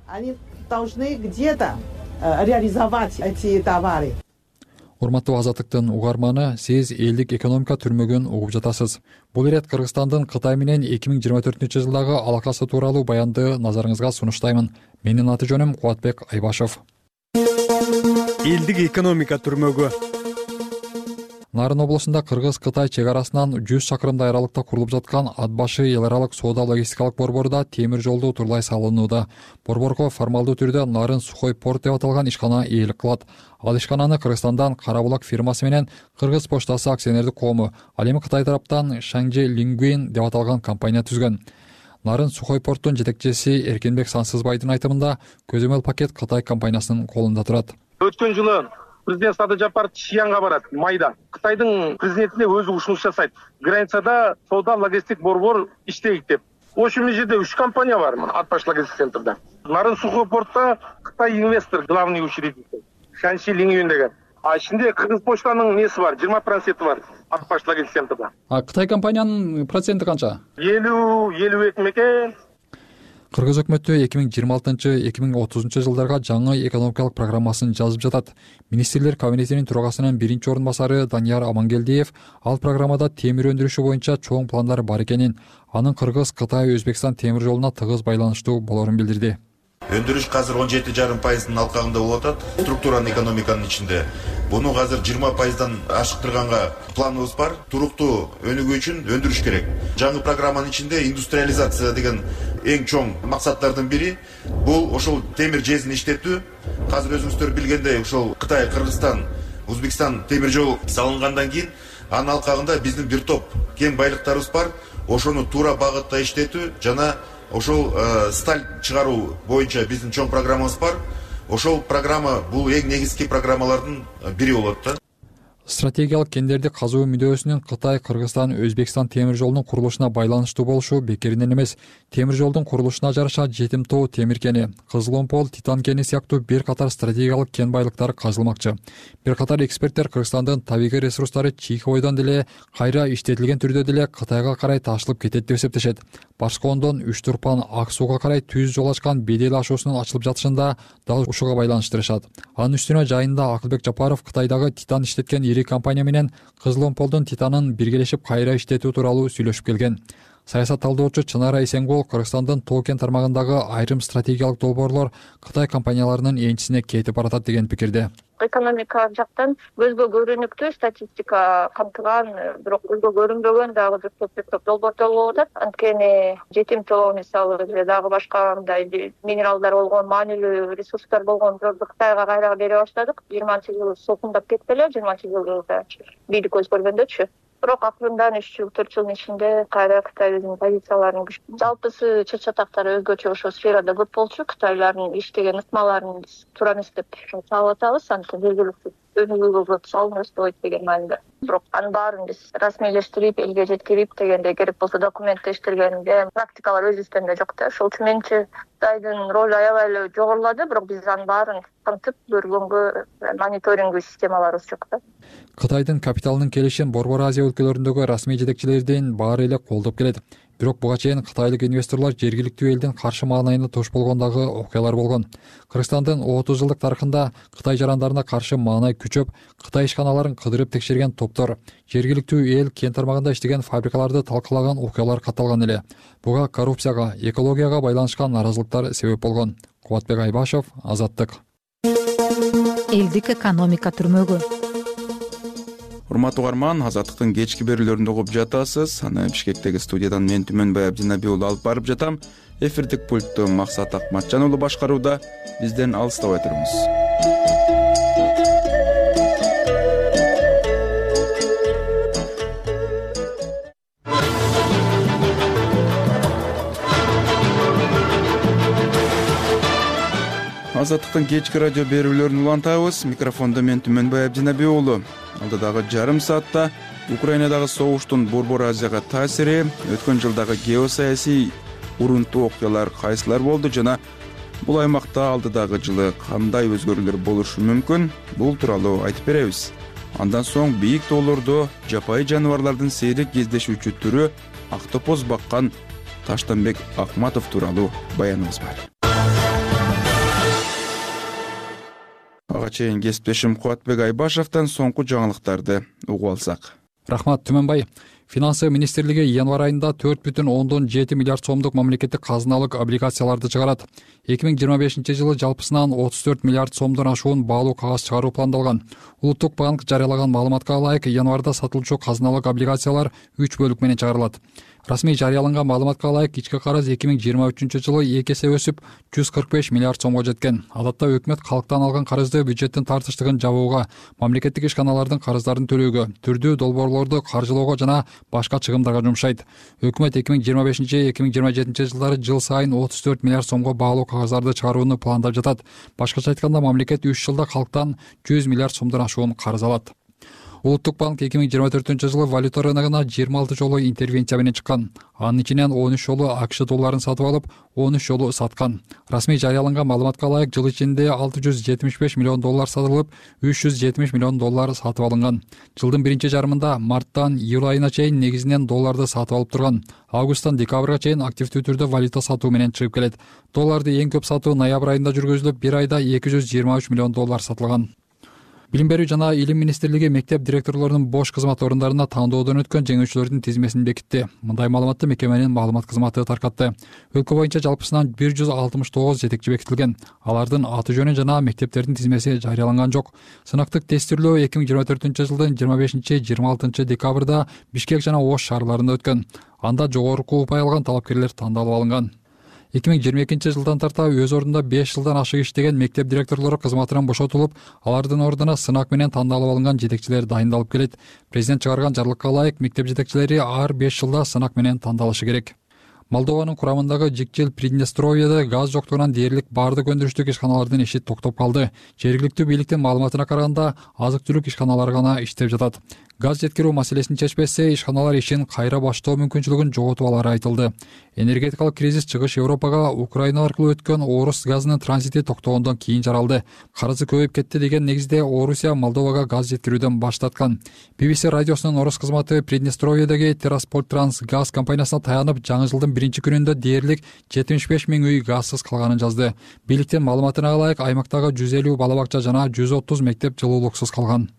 Они должны где-то реализовать эти товары. Урматтуу Азаттыктын угарманы, сиз элдик экономика түрмөгүн угуп жатасыз. Бул ирет Кыргызстандын Кытай менен 2024-жылдагы алакасы тууралуу баянды назарыңызга сунуштаймын. Менин аты жөнүм Кубатбек Айбашев. Элдик экономика түрмөгү. Нарын облусунда Кыргыз-Кытай чек арасынан 100 чакырымдай аралыкта курулуп жаткан Ат башы эл аралык соода логистикалык борборда темир жолду утурлай салынууда. Борборго формалдуу түрдө Нарын сухой порт деп аталган ишкана ээлик кылат. Ал ишкананы Кыргызстандан Карабулак фирмасы менен Кыргыз поштасы акционердик коому, ал эми Кытай тараптан Шанжи Лингвин деп аталган компания түзгөн. Нарын сухой порттун жетекчиси Эркинбек Сансызбайдын айтымында көзөмөл пакет Кытай компаниясынын колунда турат. Өткөн жылы президент Садыр Жапаров Шиянга барат майда. Кытайдын президентине өзү ушунуш жасайт. Границада соода логистик борбор иштейт деп. Ошол жерде 3 компания бар, Ат баш логистик центрда. Нарын сухой портта Кытай инвестор, главный учредитель Шанши Лингвин деген. А ичинде Кыргыз почтанын несі бар, 20% бар Ат баш логистик центрда. А Кытай компаниянын проценти канча? 50-52 мекен. Кыргыз өкмөтү 2026-2030 жылдарга жаңы экономикалык программасын жазып жатат. Министрлер кабинетинин төрагасынын биринчи орун басары Данияр Амангелдиев ал программада темир өндүрүшү боюнча чоң пландар бар экенин, анын Кыргыз, Кытай, Өзбекстан темир жолуна тыгыз байланыштуу болорун билдирди. Өндүрүш азыр 17,5% алкагында болуп атат. Структуранын экономиканын ичинде. Буну азыр 20%дан ашыктырганга планыбыз бар. Туруктуу өнүгүү үчүн өндүрүш керек. Жаңы программанын ичинде индустриализация деген эң чоң максаттардын бири бул ошол темир жезин иштетүү. Азыр өзүңүздөр билгендей, ошол Кытай, Кыргызстан, Өзбекстан темир жол салынгандан кийин анын алкагында биздин бир топ кең байлыктарыбыз бар. Ошону туура багытта иштетүү жана ошол сталь чыгаруу боюнча биздин чоң программабыз бар. Ошол программа бул эң негизги программалардын бири болот да. Стратегиялык кендерди казуу мүдөөсүнүн Кытай, Кыргызстан, Өзбекстан темир жолунун курулушуна байланыштуу болушу бекеринен эмес. Темир жолдун курулушуна жараша Жетим тоо темир кени, Кызыл Омпол, Титан кени сыяктуу бир катар стратегиялык кен байлыктары казылмакчы. Бир катар эксперттер Кыргызстандын табигый ресурстары чийки бойдон деле кайра иштетилген түрдө деле Кытайга карай ташылып кетет деп эсептешет. Башкы Ондон Үч Турпан Ак сууга карай түз жол ачкан бедел ашуусунун ачылып жатышында дал ушуга байланыштырышат. Анын үстүнө жайында Акылбек Жапаров Кытайдагы Титан иштеткен ири компания менен Кызыл Омполдун Титанын биргелешип кайра иштетүү тууралуу сүйлөшүп келген. Саясат талдоочу Чынара Эсенгул Кыргызстандын тоо кен тармагындагы айрым стратегиялык долбоорлор Кытай компанияларынын энчисине кетип баратат деген пикирде. Экономика жактан көзгө көрүнүктүү статистика камтыган, бирок көзгө көрүнбөгөн дагы бир топ долбоорлор болуп атат. Анткени Жетим тоо мисалы же дагы башка мындай минералдар болгон, маанилүү ресурстар болгон жолду Кытайга кайра бере баштадык. 20-жылы сокундап кетти эле, 20-жылда бийлик өзгөргөндөчү. Бирок акырындан 3 жыл, 4 жылдын ичинде кайра Кытай өзүнүн позицияларын жалпысы чыр-чатактары өзгөчө ошол сферада көп болчу. Кытайлардын иштеген ыкмаларын туура эмес деп салып атабыз. Анткени жергиликтүү өнүгүүгө көп салынып өспөйт деген мааниде. Бирок анын баарын биз расмийлештирип, элге жеткирип дегенде керек болсо документтештиргенде практикалар өзүбүздө жок да. Ошол үчүн менчи Кытайдын ролу аябай эле жогорулады, бирок биз анын баарын камтып көргөнгө мониторингүү системаларыбыз жок да. Кытайдын капиталынын келишин Борбор Азия өлкөлөрүндөгү расмий жетекчилердин баары эле колдоп келет. Бирок буга чейин кытайлык инвесторлор жергиликтүү элдин каршы маанайына туш болгондагы окуялар болгон. Кыргызстандын 30 жылдык тарыхында Кытай жарандарына каршы маанай күчөп, Кытай ишканаларын кыдырып текшерген топтор, жергиликтүү эл кен тармагында иштеген фабрикаларды талкалаган окуялар катталган эле. Буга коррупцияга, экологияга байланышкан наразылыктар себеп болгон. Кубатбек Айбашев, Азаттык. элдик экономика түрмөгү. Урматтуу угарман, Азаттыктын кечки берүүлөрүндө угуп жатасыз. Аны Бишкектеги студиядан мен Түмөнбай Абдинабий уулу алып барып жатам. Эфирдик пультту Максат Акматжан уулу башкарууда. Бизден алыстабай туруңуз. Азаттыктын кечки радио берүүлөрүн улантабыз. Микрофондо мен Түмөнбай Абдинабий уулу. Алдыдагы жарым саатта Украинадагы согуштун Борбор Азияга таасири, өткөн жылдагы геосаясий урунтуу окуялар кайсылар болду жана бул аймакта алдыдагы жылы кандай өзгөрүүлөр болушу мүмкүн? Бул тууралуу айтып беребиз. Андан соң бийик тоолордо жапайы жаныбарлардын сейрек кездешүүчү түрү актопоз баккан Таштанбек Акматов тууралуу баяныбыз бар. Ага чейин кесиптешим Кубатбек Айбашевден соңку жаңылыктарды угуп алсак. Рахмат, Түмөнбай. Финансы министрлиги январь айында 4,7 миллиард сомдук мамлекеттик казыналык облигацияларды чыгарат. 2025 жылы жалпысынан 34 миллиард сомдон ашуун баалуу кагаз чыгаруу пландалган. Улуттук банк жарыялаган маалыматка ылайык, январда сатылчу казыналык облигациялар 3 бөлүк менен чыгарылат. Расмий жарыяланган маалыматка ылайык, ички карыз 2023 жылы 2 эсе өсүп 145 миллиард сомго жеткен. Адатта өкмөт калктан алган карызды бюджеттин тартыштыгын жабууга, мамлекеттик ишканалардын карыздарын төлөөгө, түрдүү долбоорлорду каржылоого жана башка чыгымдарга жумшайт. Өкмөт 2025-2027 жылдары жыл сайын 34 миллиард сомго баалуу кагыздарды чыгарууну пландап жатат. Башкача айтканда, мамлекет 3 жылда калктан 100 миллиард сомдон ашуун карыз алат. Улуттук банк 2024 жылы валюта рыногуна 26 жолу интервенция менен чыккан. Анын ичинен 13 жолу АКШ долларын сатып алып, 13 жолу саткан. Расмий жарыяланган маалыматка ылайык, жыл ичинде 675 миллион доллар сатылып, 370 миллион доллар сатып алынган. Жылдын биринчи жарымында марттан июль айына чейин негизинен долларды сатып алып турган. Августтан декабрга чейин активдүү түрдө валюта сатуу менен чыгып келет. Долларды эң көп сатуу ноябрь айында жүргүзүлүп, бир айда 223 миллион доллар сатылган. Билим берүү жана илим министрлиги мектеп директорлорунун бош кызмат орундарына тандоодон өткөн жеңүүчүлөрдүн тизмесин бекитти. Мындай маалыматты мекеменин маалымат кызматы таркатты. Өлкө боюнча жалпысынан 169 жетекчи бекитилген. Алардын аты жөнү жана мектептердин тизмеси жарыяланган жок. Сынактык тестирлөө 2024 жылдын 25-26 декабрда Бишкек жана Ош шаарларында өткөн. Анда жогорку упай алган талапкерлер тандалып алынган. 2022 жылдан тарта өз ордунда 5 жылдан ашык иштеген мектеп директорлору кызматынан бошотулуп, алардын ордуна сынак менен тандалып алынган жетекчилер дайындалып келет. Президент чыгарган жарлыкка ылайык, мектеп жетекчилери ар 5 жылда сынак менен тандалышы керек. Молдованын курамындагы Жикчил Приднестровьеде газ жоктугунан дээрлик баардык өндүрүштүк ишканалардын иши токтоп калды. Жергиликтүү бийликтин маалыматына караганда, азык-түлүк ишканалары гана иштеп жатат. Газ жеткирүү маселесин чечпесе, ишканалар ишин кайра баштоо мүмкүнчүлүгүн жоготуп алары айтылды. Энергетикалык кризис чыгыш Европага Украина аркылуу өткөн Орус газынын транзити токтогондон кийин жаралды. Карызы көбөйүп кетти деген негизде Орусия Молдовага газ жеткирүүдөн баш тарткан. BBC радиосунун орус кызматы Приднестровьедеги Терраспольтранс газ компаниясына таянып, жаңы жылдын биринчи күнүндө дээрлик 75 000 үй газсыз калганын жазды. Бийликтин маалыматына ылайык, аймактагы 150 бала бакча жана 130 мектеп жылуулуксуз калган.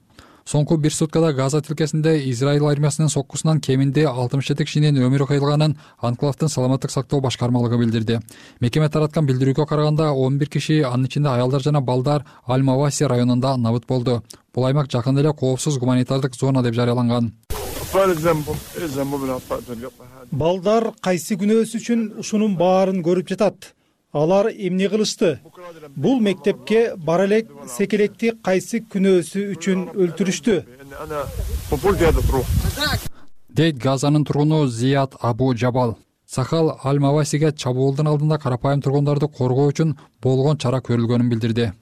Соңку бир суткада Газа тилкесинде Израиль армиясынын соккусунан кеминде 67 кишинин өмүрү кыйылганын Анклавдын саламаттык сактоо башкармалыгы билдирди. Мекеме тараткан билдирүүгө караганда, 11 киши, анын ичинде аялдар жана балдар Аль-Маваси районунда набыт болду. Бул аймак жакында эле коопсуз гуманитардык зона деп жарыяланган. Балдар кайсы күнөөсү үчүн ушунун баарын көрүп жатат. Алар эмне кылышты? Бул мектепке бара элек секелекти кайсы күнөөсү үчүн өлтүрүштү? Дейт Газанын тургуну Зият Абу Жабал. Сахал Аль-Мавасиге чабуулдун алдында карапайым тургундарды коргоо үчүн болгон чара көрүлгөнүн билдирди.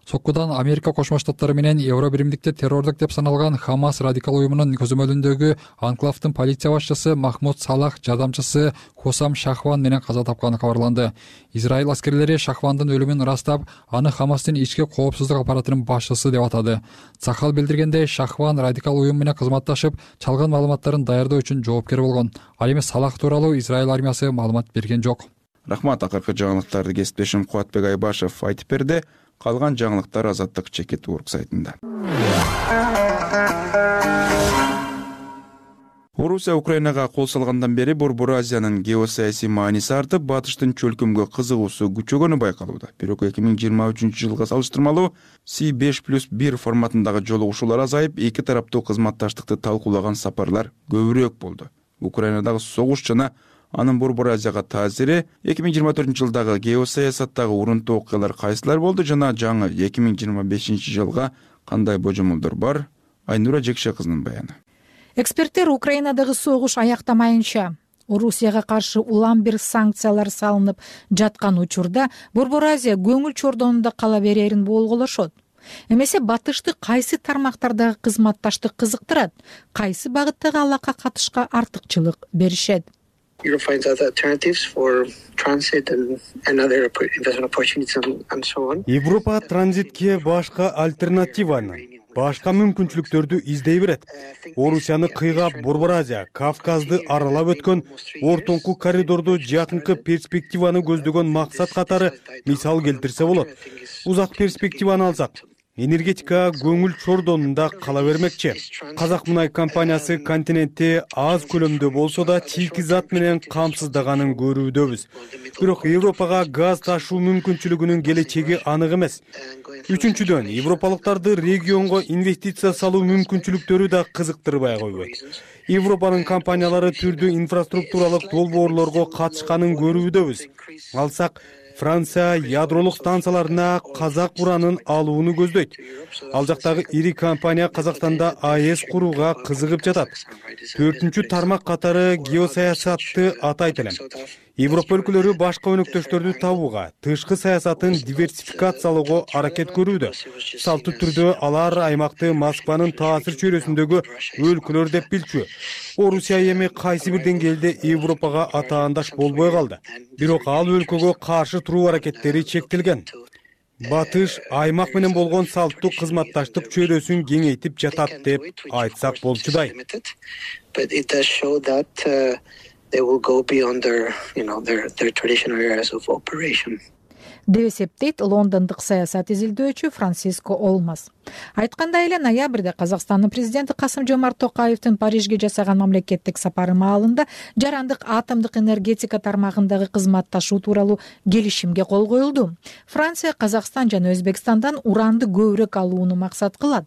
Соккудан Америка Кошмо Штаттары менен Евро биримдикте террордук деп саналган Хамас радикал уюмунун көзөмөлүндөгү Анклавдын полиция башчысы Махмуд Салах жардамчысы Хосам Шахван менен каза тапканы кабарланды. Израиль аскерлери Шахвандын өлүмүн ырастап, аны Хамастын ички коопсуздук аппаратынын башчысы деп атады. Сахал билдиргендей, Шахван радикал уюм менен кызматташып, чалган маалыматтарын даярдоо үчүн жоопкер болгон. Ал эми Салах тууралуу Израиль армиясы маалымат берген жок. Рахмат, акыркы жаңылыктарды кесиптешим Кубатбек Айбашев айтып берди. Калган жаңылыктар Азаттык чекит урк сайтында. Орусия Украинага кол салгандан бери Борбор Азиянын геосаясий мааниси артып, батыштын чөлкөмгө кызыгуусу күчөгөнү байкалууда. Бирок 2023-жылга салыштырмалуу C5+1 форматындагы жолугушуулар азайып, эки тараптуу кызматташтыкты талкуулаган сапарлар көбүрөөк болду. Украинадагы согуш жана анын Борбор Азияга таасири, 2024-жылдагы геосаясаттагы урунтуу окуялар кайсылар болду жана жаңы 2025-жылга кандай божомолдор бар? Айнура Жекше кызынын баяны. Эксперттер Украинадагы согуш аяктамайынча, Орусияга каршы улам бир санкциялар салынып жаткан учурда Борбор Азия көңүл чордонунда кала берерин болголошот. Эмесе батышты кайсы тармактардагы кызматташтык кызыктырат, кайсы багыттагы алака катышка артыкчылык беришет? Европа транзитке башка альтернативаны, башка мүмкүнчүлүктөрдү издей берет. Орусияны кыйгап Борбор Азия, Кавказды аралап өткөн ортоңку коридорду жакынкы перспективаны көздөгөн максат катары мисал келтирсе болот. Узак перспективаны алсак, энергетика көңүл чордонунда кала бермекчи. Казак мунай компаниясы континентти аз көлөмдө болсо да чийки зат менен камсыздаганын көрүүдөбүз. Бирок Европага газ ташуу мүмкүнчүлүгүнүн келечеги анык эмес. Үчүнчүдөн, европалыктарды регионго инвестиция салуу мүмкүнчүлүктөрү да кызыктырбай койбойт. Европанын компаниялары түрдүү инфраструктуралык долбоорлорго катышканын көрүүдөбүз. Алсак, Франция ядролук станцияларына казак уранын алууну көздөйт. Ал жактагы ири компания Казакстанда АЭС курууга кызыгып жатат. Төртүнчү тармак катары геосаясатты атайт элем. Европа өлкөлөрү башка өнөктөштөрдү табууга, тышкы саясатын диверсификациялоого аракет көрүүдө. Салттуу түрдө алар аймакты Москванын таасир чөйрөсүндөгү өлкөлөр деп билчү. Орусия эми кайсы бир деңгээлде Европага атаандаш болбой калды. Бирок ал өлкөгө каршы туруу аракеттери чектелген. Батыш аймак менен болгон салттуу кызматташтык чөйрөсүн кеңейтип жатат деп айтсак болчудай. Деп эсептейт лондондук саясат изилдөөчү Франциско Олмас. Айткандай эле, ноябрда Казакстандын президенти Касым-Жомарт Токаевдин Парижге жасаган мамлекеттик сапары маалында жарандык атомдук энергетика тармагындагы кызматташуу тууралуу келишимге кол коюлду. Франция Казакстан жана Өзбекстандан уранды көбүрөөк алууну максат кылат.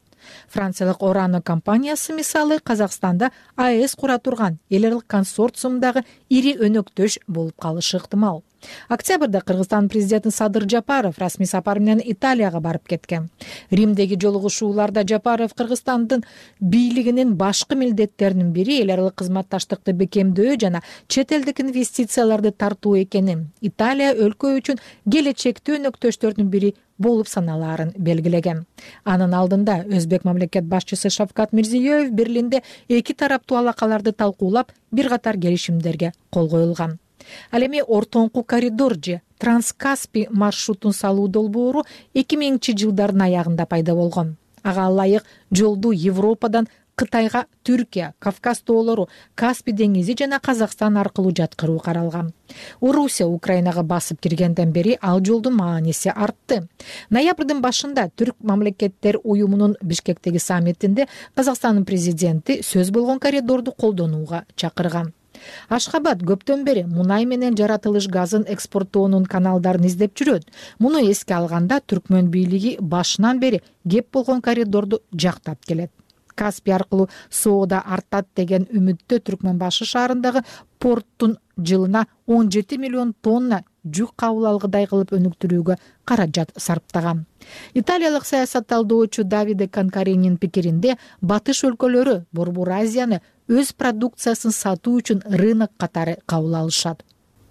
Франциялык Орано компаниясы мисалы Казакстанда АЭС кура турган эл аралык консорциумдагы ири өнөктөш болуп калышы ыктымал. Октябрда Кыргызстан президенти Садыр Жапаров расмий сапар менен Италияга барып кеткен. Римдеги жолугушууларда Жапаров Кыргызстандын бийлигинин башкы милдеттеринин бири эл аралык кызматташтыкты бекемдөө жана чет элдик инвестицияларды тартуу экенин, Италия өлкө үчүн келечектүү өнөктөштөрдүн бири болуп саналаарын белгилеген. Анын алдында Өзбек мамлекет башчысы Шавкат Мирзиёев Берлинде эки тараптуу алакаларды талкуулап, бир катар келишимдерге кол коюлган. Ал эми ортоңку коридор же Транскаспий маршрутун салуу долбоору 2000-жылдардын аягында пайда болгон. Ага ылайык жолду Европадан Кытайга, Түркия, Кавказ тоолору, Каспий деңизи жана Казакстан аркылуу жаткыруу каралган. Орусия Украинага басып киргенден бери ал жолдун мааниси артты. Ноябрдын башында Түрк мамлекеттер уюмунун Бишкектеги саммитинде Казакстандын президенти сөз болгон коридорду колдонууга чакырган. Ашхабад көптөн бери мунай менен жаратылыш газын экспорттоонун каналдарын издеп жүрөт. Муну эске алганда Түркмөн бийлиги башынан бери кеп болгон коридорду жактап келет. Каспий аркылуу соода артат деген үмүттө Түркмөнбашы шаарындагы порттун жылына 17 миллион тонна жүк кабыл алгыдай кылып өнүктүрүүгө каражат сарптаган. Италиялык саясатталдоочу Давиде Канкаринин пикиринде, батыш өлкөлөрү Борбор Азияны өз продукциясын сатуу үчүн рынок катары кабыл алышат.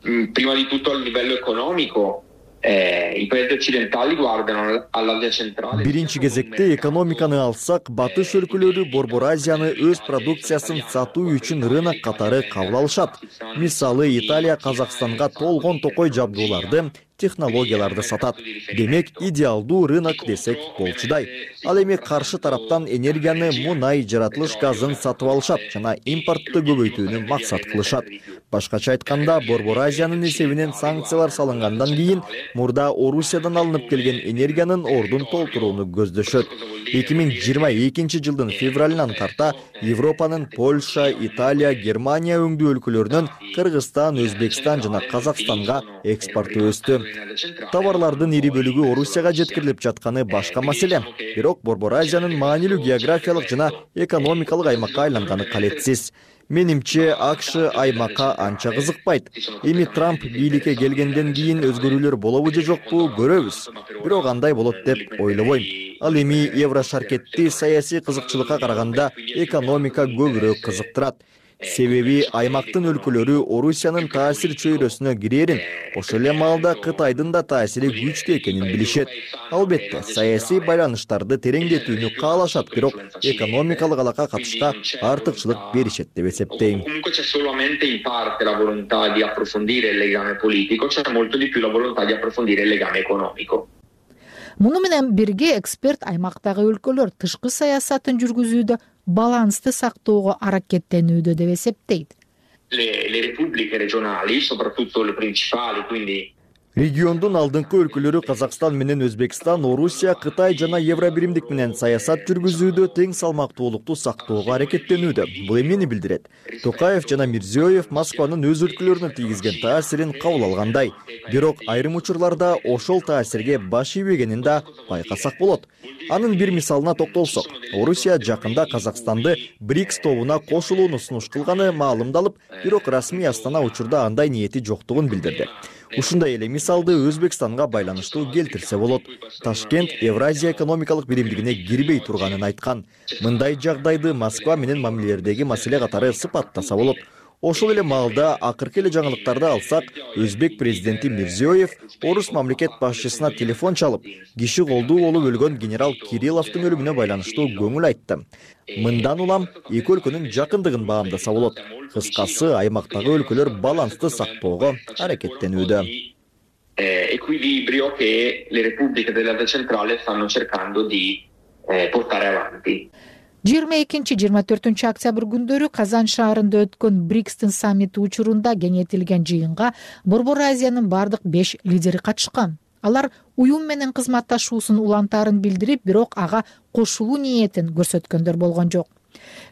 Prima di tutto a livello economico, i paesi occidentali guardano all'Asia centrale. Биринчи кезекте экономиканы алсак, батыш өлкөлөрү Борбор Азияны өз продукциясын сатуу үчүн рынок катары кабыл алышат. Мисалы, Италия Казакстанга толгон токой жабдууларды, технологияларды сатат. Демек, идеалдуу рынок десек болчудай. Ал эми каршы тараптан энергияны, мунай, жаратылыш газын сатып алышат жана импортты көбөйтүүнү максат кылышат. Башкача айтканда, Борбор Азиянын эсебинен санкциялар салынгандан кийин мурда Орусиядан алынып келген энергиянын ордун толтурууну көздөшөт. 2022 жылдын февралынан тарта Европанын Польша, Италия, Германия өңдүү өлкөлөрүнөн Кыргызстан, Өзбекстан жана Казакстанга экспорту өстү. Товарлардын ири бөлүгү Орусияга жеткирилип жатканы башка маселе. Бирок Борбор Азиянын маанилүү географиялык жана экономикалык аймакка айланганы калетсиз. Менимче, АКШ аймакка анча кызыкпайт. Эми Трамп бийликке келгенден кийин өзгөрүүлөр болобу же жокпу көрөбүз. Бирок андай болот деп ойлобойм. Ал эми Еврошаркетти саясий кызыкчылыкка караганда экономика көбүрөөк кызыктырат. Себеби аймактын өлкөлөрү Орусиянын таасир чөйрөсүнө кирерин, ошол эле маалда Кытайдын да таасири күчтүү экенин билишет. Албетте, саясий байланыштарды тереңдетүүнү каалашат, бирок экономикалык алакка катышка артыкчылык беришет деп эсептейм. Comunque c'è solamente in parte la volontà di approfondire il legame politico, c'è molto di più la volontà di approfondire il legame economico. Муну менен бирге эксперт аймактагы өлкөлөр тышкы саясатын жүргүзүүдө балансты сактоого аракеттенүүдө деп эсептейт. Le repubbliche regionali, soprattutto le principali, quindi Региондун алдыңкы өлкөлөрү Казакстан менен Өзбекстан, Орусия, Кытай жана Евробиримдик менен саясат жүргүзүүдө тең салмактуулукту сактоого аракеттенүүдө. Бул эмнени билдирет? Токаев жана Мирзиёев Москванын өз өлкөлөрүнө тийгизген таасирин кабыл алгандай. Бирок айрым учурларда ошол таасирге баш ийбегенин да байкасак болот. Анын бир мисалына токтолсок, Орусия жакында Казакстанды БРИКС тобуна кошулууну сунуш кылганы маалымдалып, бирок расмий Астана учурда андай ниети жоктугун билдирди. Ушундай эле мисалды Өзбекстанга байланыштуу келтирсе болот. Ташкент Евразия экономикалык биримдигине кирбей турганын айткан. Мындай жагдайды Москва менен мамилелердеги маселе катары сыпаттаса болот. Ошол эле маалда акыркы эле жаңылыктарды алсак, Өзбек президенти Мирзиёев орус мамлекет башчысына телефон чалып, киши колдуу болуп өлгөн генерал Кирилловдун өлүмүнө байланыштуу көңүл айтты. Мындан улам эки өлкөнүн жакындыгын баамдаса болот. Кыскасы, аймактагы өлкөлөр балансты сактоого аракеттенүүдө. Equilibrio che le repubbliche dell'Asia centrale stanno cercando di portare avanti. 22-24 октябрь күндөрү Казан шаарында өткөн БРИКСтин саммити учурунда кеңейтилген жыйынга Борбор Азиянын бардык 5 лидери катышкан. Алар уюм менен кызматташуусун улантаарын билдирип, бирок ага кошулуу ниетин көрсөткөндөр болгон жок.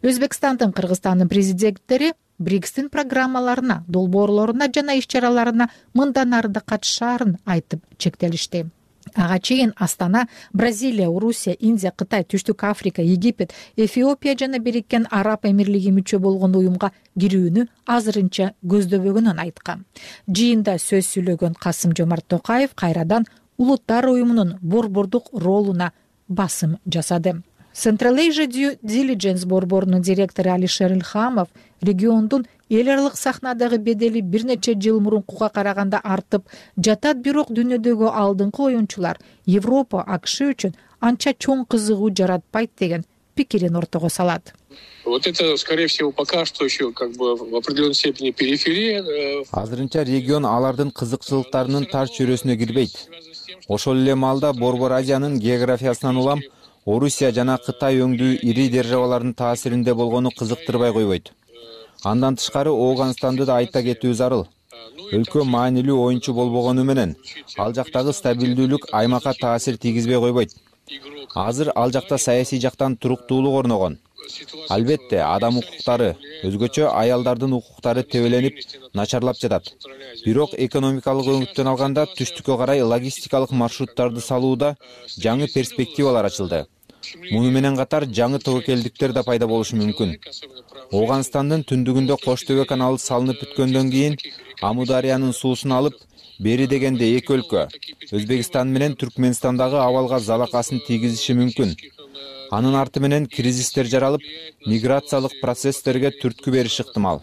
Өзбекстандын, Кыргызстандын президенттери БРИКСтин программаларына, долбоорлоруна жана иш-чараларына мындан ары да катышаарын айтып чектелишти. Ага чейин Астана, Бразилия, Орусия, Индия, Кытай, Түштүк Африка, Египет, Эфиопия жана Бириккен Араб Эмирлиги мүчө болгон уюмга кирүүнү азырынча көздөбөгөнүн айткан. Жыйында сөз сүйлөгөн Касым-Жомарт Токаев кайрадан улуттар уюмунун борбордук ролуна басым жасады. Central Asia Due Diligence борборунун директору Алишер Илхамов региондун эл аралык сахнадагы бедели бир нече жыл мурункуга караганда артып жатат, бирок дүйнөдөгү алдыңкы оюнчулар Европа, АКШ үчүн анча чоң кызыгуу жаратпайт деген пикирин ортого салат. Вот это, скорее всего, пока что еще как бы в определенной степени периферия. Азырынча регион алардын кызыкчылыктарынын тар чөйрөсүнө кирбейт. Ошол эле маалда Борбор Азиянын географиясынан улам Орусия жана Кытай өңдүү ири державалардын таасиринде болгону кызыктырбай койбойт. Андан тышкары Ооганстанды да айта кетүү зарыл. Өлкө маанилүү оюнчу болбогону менен ал жактагы стабилдүүлүк аймакка таасир тийгизбей койбойт. Азыр ал жакта саясий жактан туруктуулук орногон. Албетте, адам укуктары, өзгөчө аялдардын укуктары тебеленип, начарлап жатат. Бирок экономикалык өңүттөн алганда түштүккө карай логистикалык маршруттарды салууда жаңы перспективалар ачылды. Муну менен катар жаңы тобокелдиктер да пайда болушу мүмкүн. Ооганстандын түндүгүндө Кош Төбө каналы салынып бүткөндөн кийин Амудариянын суусун алып, бери дегенде эки өлкө, Өзбекстан менен Түркмөнстандагы абалга залакасын тийгизиши мүмкүн. Анын арты менен кризистер жаралып, миграциялык процесстерге түрткү бериши ыктымал.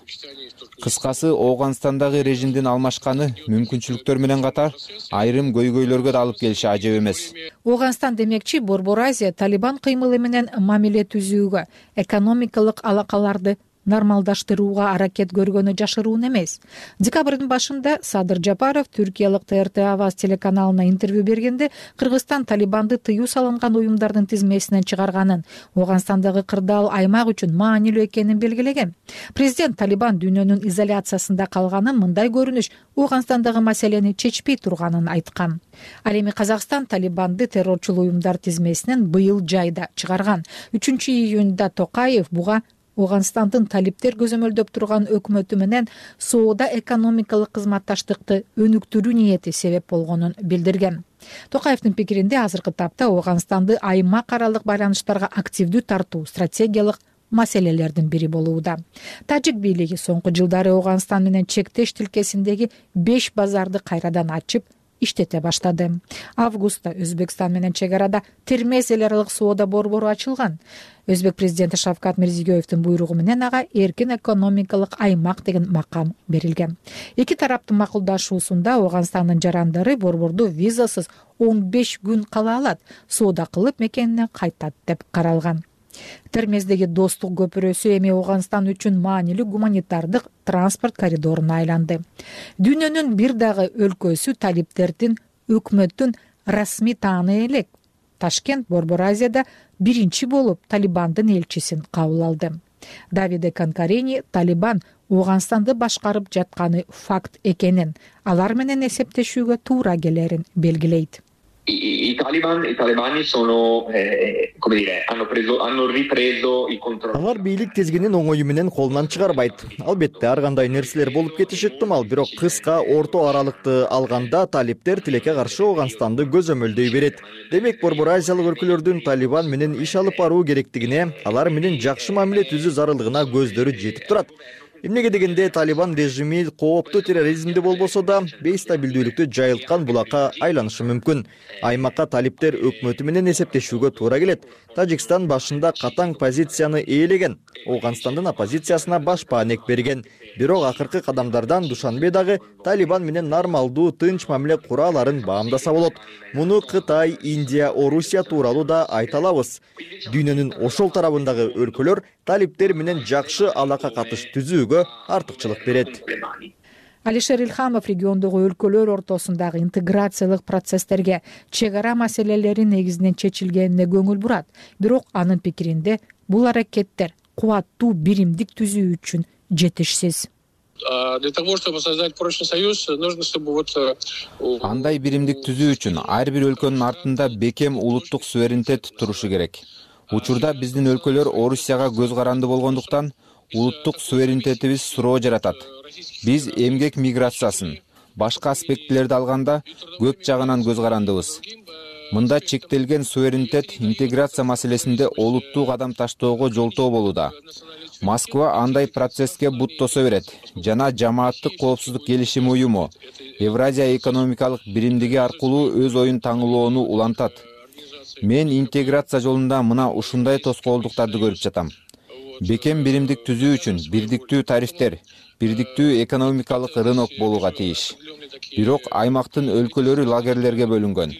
Кыскасы, Ооганстандагы режимдин алмашканы мүмкүнчүлүктөр менен катар айрым көйгөйлөргө да алып келиши ажеп эмес. Ооганстан демекчи, Борбор Азия Талибан кыймылы менен мамиле түзүүгө, экономикалык алакаларды нормалдаштырууга аракет көргөнү жашыруун эмес. Декабрдын башында Садыр Жапаров түркиялык ТРТ Аваз телеканалына интервью бергенде Кыргызстан Талибанды тыюу салынган уюмдардын тизмесинен чыгарганын, Ооганстандагы кырдаал аймак үчүн маанилүү экенин белгилеген. Президент Талибан дүйнөнүн изоляциясында калганын, мындай көрүнүш Ооганстандагы маселени чечпей турганын айткан. Ал эми Казакстан Талибанды террорчул уюмдар тизмесинен быйыл жайда чыгарган. 3-июнда Токаев буга Ооганстандын талиптер көзөмөлдөп турган өкмөтү менен соода экономикалык кызматташтыкты өнүктүрүү ниети себеп болгонун билдирген. Токаевдин пикиринде азыркы тапта Ооганстанды аймак аралык байланыштарга активдүү тартуу стратегиялык маселелердин бири болууда. Тажик бийлиги соңку жылдары Ооганстан менен чектеш тилкесиндеги 5 базарды кайрадан ачып иштете баштады. Августта Өзбекстан менен чек арада термез эл аралык соода борбору ачылган. Өзбек президенти Шавкат Мирзиёевдин буйругу менен ага эркин экономикалык аймак деген макам берилген. Эки тараптын макулдашуусунда Ооганстандын жарандары борборду визасыз 15 күн кала алат, соода кылып мекенине кайтат деп каралган. Термездеги достук көпүрөсү эми Ооганстан үчүн маанилүү гуманитардык транспорт коридоруна айланды. Дүйнөнүн бир дагы өлкөсү талиптердин өкмөттүн расмий тааны элек. Ташкент Борбор Азияда биринчи болуп Талибандын элчисин кабыл алды. Давиде Канкарени Талибан Ооганстанды башкарып жатканы факт экенин, алар менен эсептешүүгө туура келерин белгилейт. I talebani sono, come dire, hanno ripreso il controllo. Алар бийлик тизгинин оңою менен колунан чыгарбайт. Албетте ар кандай нерселер болуп кетиши ыктымал, бирок кыска орто аралыкты алганда талиптер тилекке каршы Ооганстанды көзөмөлдөй берет. Демек, Борбор Азиялык өлкөлөрдүн Талибан менен иш алып баруу керектигине, алар менен жакшы мамиле түзүү зарылдыгына көздөрү жетип турат. Эмнеге дегенде Талибан режими кооптуу терроризмди болбосо да бейстабилдүүлүктү жайылткан булакка айланышы мүмкүн. Аймакка талиптер өкмөтү менен эсептешүүгө туура келет. Тажикстан башында катаң позицияны ээлеген, Ооганстандын оппозициясына баш баанек берген. Бирок акыркы кадамдардан Душанбе дагы Талибан менен нормалдуу тынч мамиле кура аларын баамдаса болот. Муну Кытай, Индия, Орусия тууралуу да айта алабыз. Дүйнөнүн ошол тарабындагы өлкөлөр талиптер менен жакшы алака катыш түзүүгө артыкчылык берет. Алишер Илхамов региондогу өлкөлөр ортосундагы интеграциялык процесстерге чек ара маселелери негизинен чечилгенине көңүл бурат. Бирок анын пикиринде бул аракеттер кубаттуу биримдик түзүү үчүн жетишсиз. Для того, чтобы создать прочный союз, нужно, чтобы андай биримдик түзүү үчүн ар бир өлкөнүн артында бекем улуттук суверенитет турушу керек. Учурда биздин өлкөлөр Орусияга көз каранды болгондуктан улуттук суверенитетибиз суроо жаратат. Биз эмгек миграциясын, башка аспектилерди алганда көп жагынан көз карандыбыз. Мында чектелген суверенитет интеграция маселесинде олуттуу кадам таштоого жолтоо болууда. Москва андай процесске буттосо берет жана жамааттык коопсуздук келишими уюму, Евразия экономикалык биримдиги аркылуу өз оюн таңылоону улантат. Мен интеграция жолунда мына ушундай тоскоолдуктарды көрүп жатам. Бекем биримдик түзүү үчүн бирдиктүү тарифтер, бирдиктүү экономикалык рынок болууга тийиш. Бирок аймактын өлкөлөрү лагерлерге бөлүнгөн.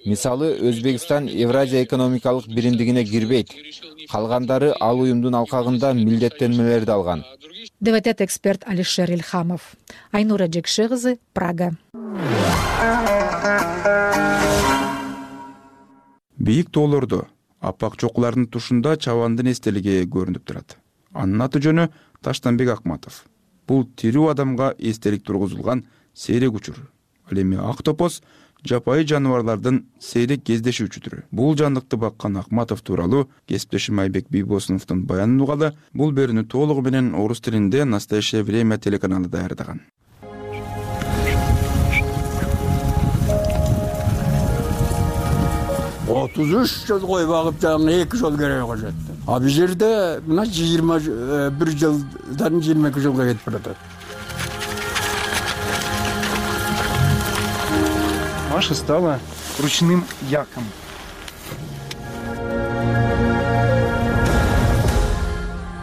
Мисалы, Өзбекстан Евразия экономикалык биримдигине кирбейт. Калгандары ал уюмдун алкагында милдеттенмелерди алган. Деп айтат эксперт Алишер Илхамов. Айнура Жекше кызы, Прага. Бийик тоолордо апак чокулардын тушунда чабандын эстелиги көрүнүп турат. Анын аты жөнү Таштанбек Акматов. Бул тирүү адамга эстелик тургузулган сейрек учур. Ал эми ак топоз жапайы жаныбарлардын сейрек кездешүүчү түрү. Бул жандыкты баккан Акматов тууралуу кесиптешим Айбек Бийбосуновдун баянын угалы. Бул берүүнү толугу менен орус тилинде «Настоящее время» телеканалы даярдаган. Otuz жыл кой багып жаңы 2 жыл керек кожот. А бул жерде мына 21 жылдан 22 жылга кетип баратат. Маша стала ручным яком.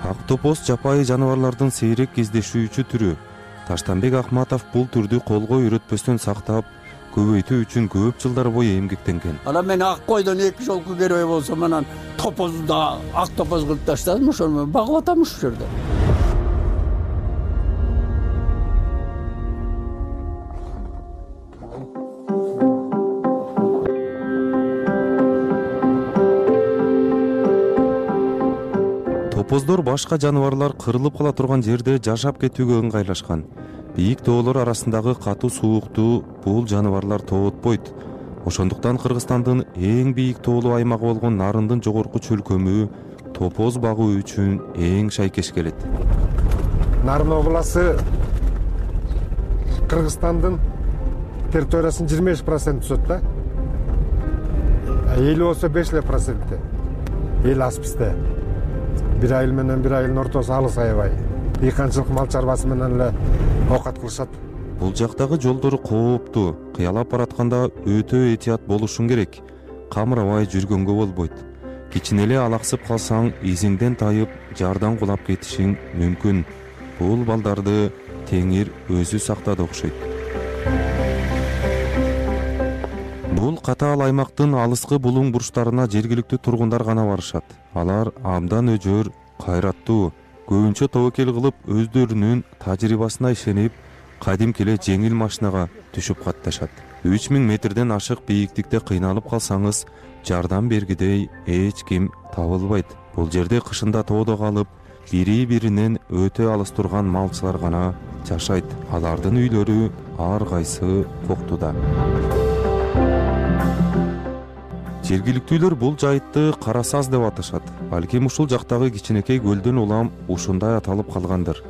Ак топоз жапайы жаныбарлардын сейрек кездешүүчү түрү. Таштанбек Акматов бул түрдү колго үйрөтпөстөн сактап, көбөйтүү үчүн көп жылдар бою эмгектенген. Ана мен ак койдон 2 жолку керек болсо, анан топозду да ак топоз кылып таштадым, ошону багып атам ушул жерде. топоздор башка жаныбарлар кырылып кала турган жерде жашап кетүүгө ыңгайлашкан. Бийик тоолор арасындагы катуу суукту бул жаныбарлар тоотпойт. Ошондуктан Кыргызстандын эң бийик тоолуу аймагы болгон Нарындын жогорку чөлкөмү топоз багуу үчүн эң шайкеш келет. Нарын обласы Кыргызстандын территориясынын 25% түзөт да. Эли болсо 5%. Эл аз бизде. Bir айыл менен bir айылдын ортосу алыс аябай. Дыйканчылык мал чарбасы менен эле оокат кылышат. Бул жактагы жолдор кооптуу, кыялап баратканда өтө этият болушуң керек. Камырабай жүргөнгө болбойт. Кичине эле алаксып калсаң, изиңден тайып, жардан кулап кетишиң мүмкүн. Бул балдарды Теңир өзү сактады окшойт. Бул катаал аймактын алыскы булуң бурчтарына жергиликтүү тургундар гана барышат. Алар абдан өжөр, кайраттуу, көбүнчө тобокел кылып, өздөрүнүн тажрыйбасына ишенип, кадимки эле жеңил машинага түшүп катташат. 3000 метрден ашык бийиктикте кыйналып калсаңыз, жардам бергидей эч ким табылбайт. Бул жерде кышында тоодо калып, бири-биринен өтө алыс турган малчылар гана жашайт. Алардын үйлөрү ар кайсы коктуда. Жергиликтүүлөр бул жайытты Кара Саз деп аташат. Балким ушул жактагы кичинекей көлдөн улам ушундай аталып калгандыр.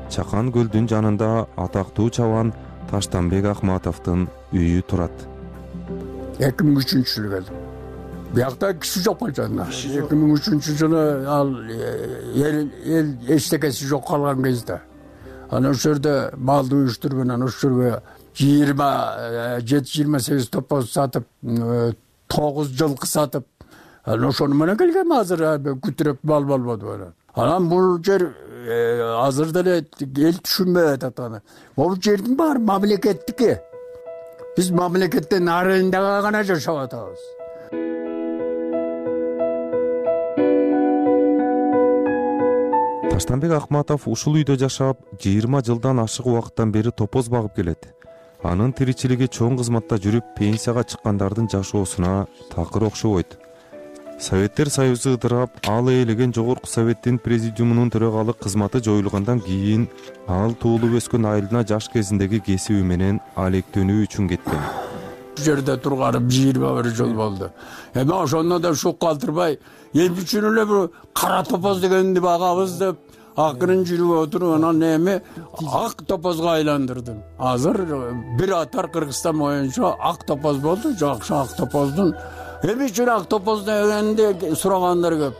Чакан көлдүн жанында атактуу чабан Таштанбек Акматовдун үйү турат. 2003-жылы келдим. Биякта киши жок болчу. 2003-жылы ал эл эчтекеси жок калган кезде. Анан ошол жерде малды уюштуруп анан ошол жерге 27-28 топоз сатып, 9 жылкы сатып, ошону менен келгем азыр күтүрөп мал болбоду. Анан бул жер азыр деле эл түшүнбөй атат аны. Бул жердин баары мамлекеттики. Биз мамлекеттен арендага гана жашап атабыз. Таштанбек Акматов ушул үйдө жашап, 20 жылдан ашык убакыттан бери топоз багып келет. Анын тиричилиги чоң кызматта жүрүп, пенсияга чыккандардын жашоосуна такыр окшобойт. Советтер Союзу ыдырап, ал ээлеген жогорку советтин президиумунун төрагалык кызматы жоюлгандан кийин ал туулуп өскөн айылына жаш кезиндеги кесиби менен алектенүү үчүн кеткен. Жерде турганым 21 жыл болду. Эми ошондо да шук калтырбай, эми үчүн эле бир кара топоз дегенди багабыз деп акырын жүрүп отуруп, анан эми ак топозго айландырдым. Азыр бир атар Кыргызстан боюнча ак топоз болду, жакшы ак топоздун. Эми үчүн ак топоз дегенди сурагандар көп.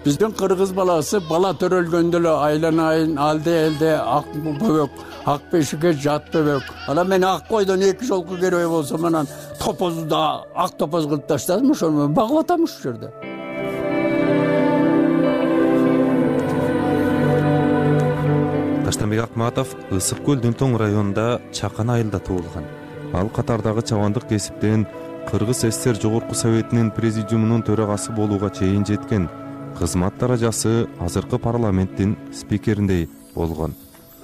Биздин кыргыз баласы бала төрөлгөндө эле айланайын, алды элде ак бөбөк, ак бешикке жат бөбөк. Анан мен ак койдон 2 жолку керебей болсом, анан топозду да ак топоз кылып таштадым, ошону багып атам ушул жерде. Таштанбек Акматов Ысык көл Дүнтоң районунда Чакан айылда туулган. Ал катардагы чабандык кесиптен Кыргыз СССР Жогорку Советинин президиумунун төрагасы болууга чейин жеткен. Кызмат даражасы азыркы парламенттин спикериндей болгон.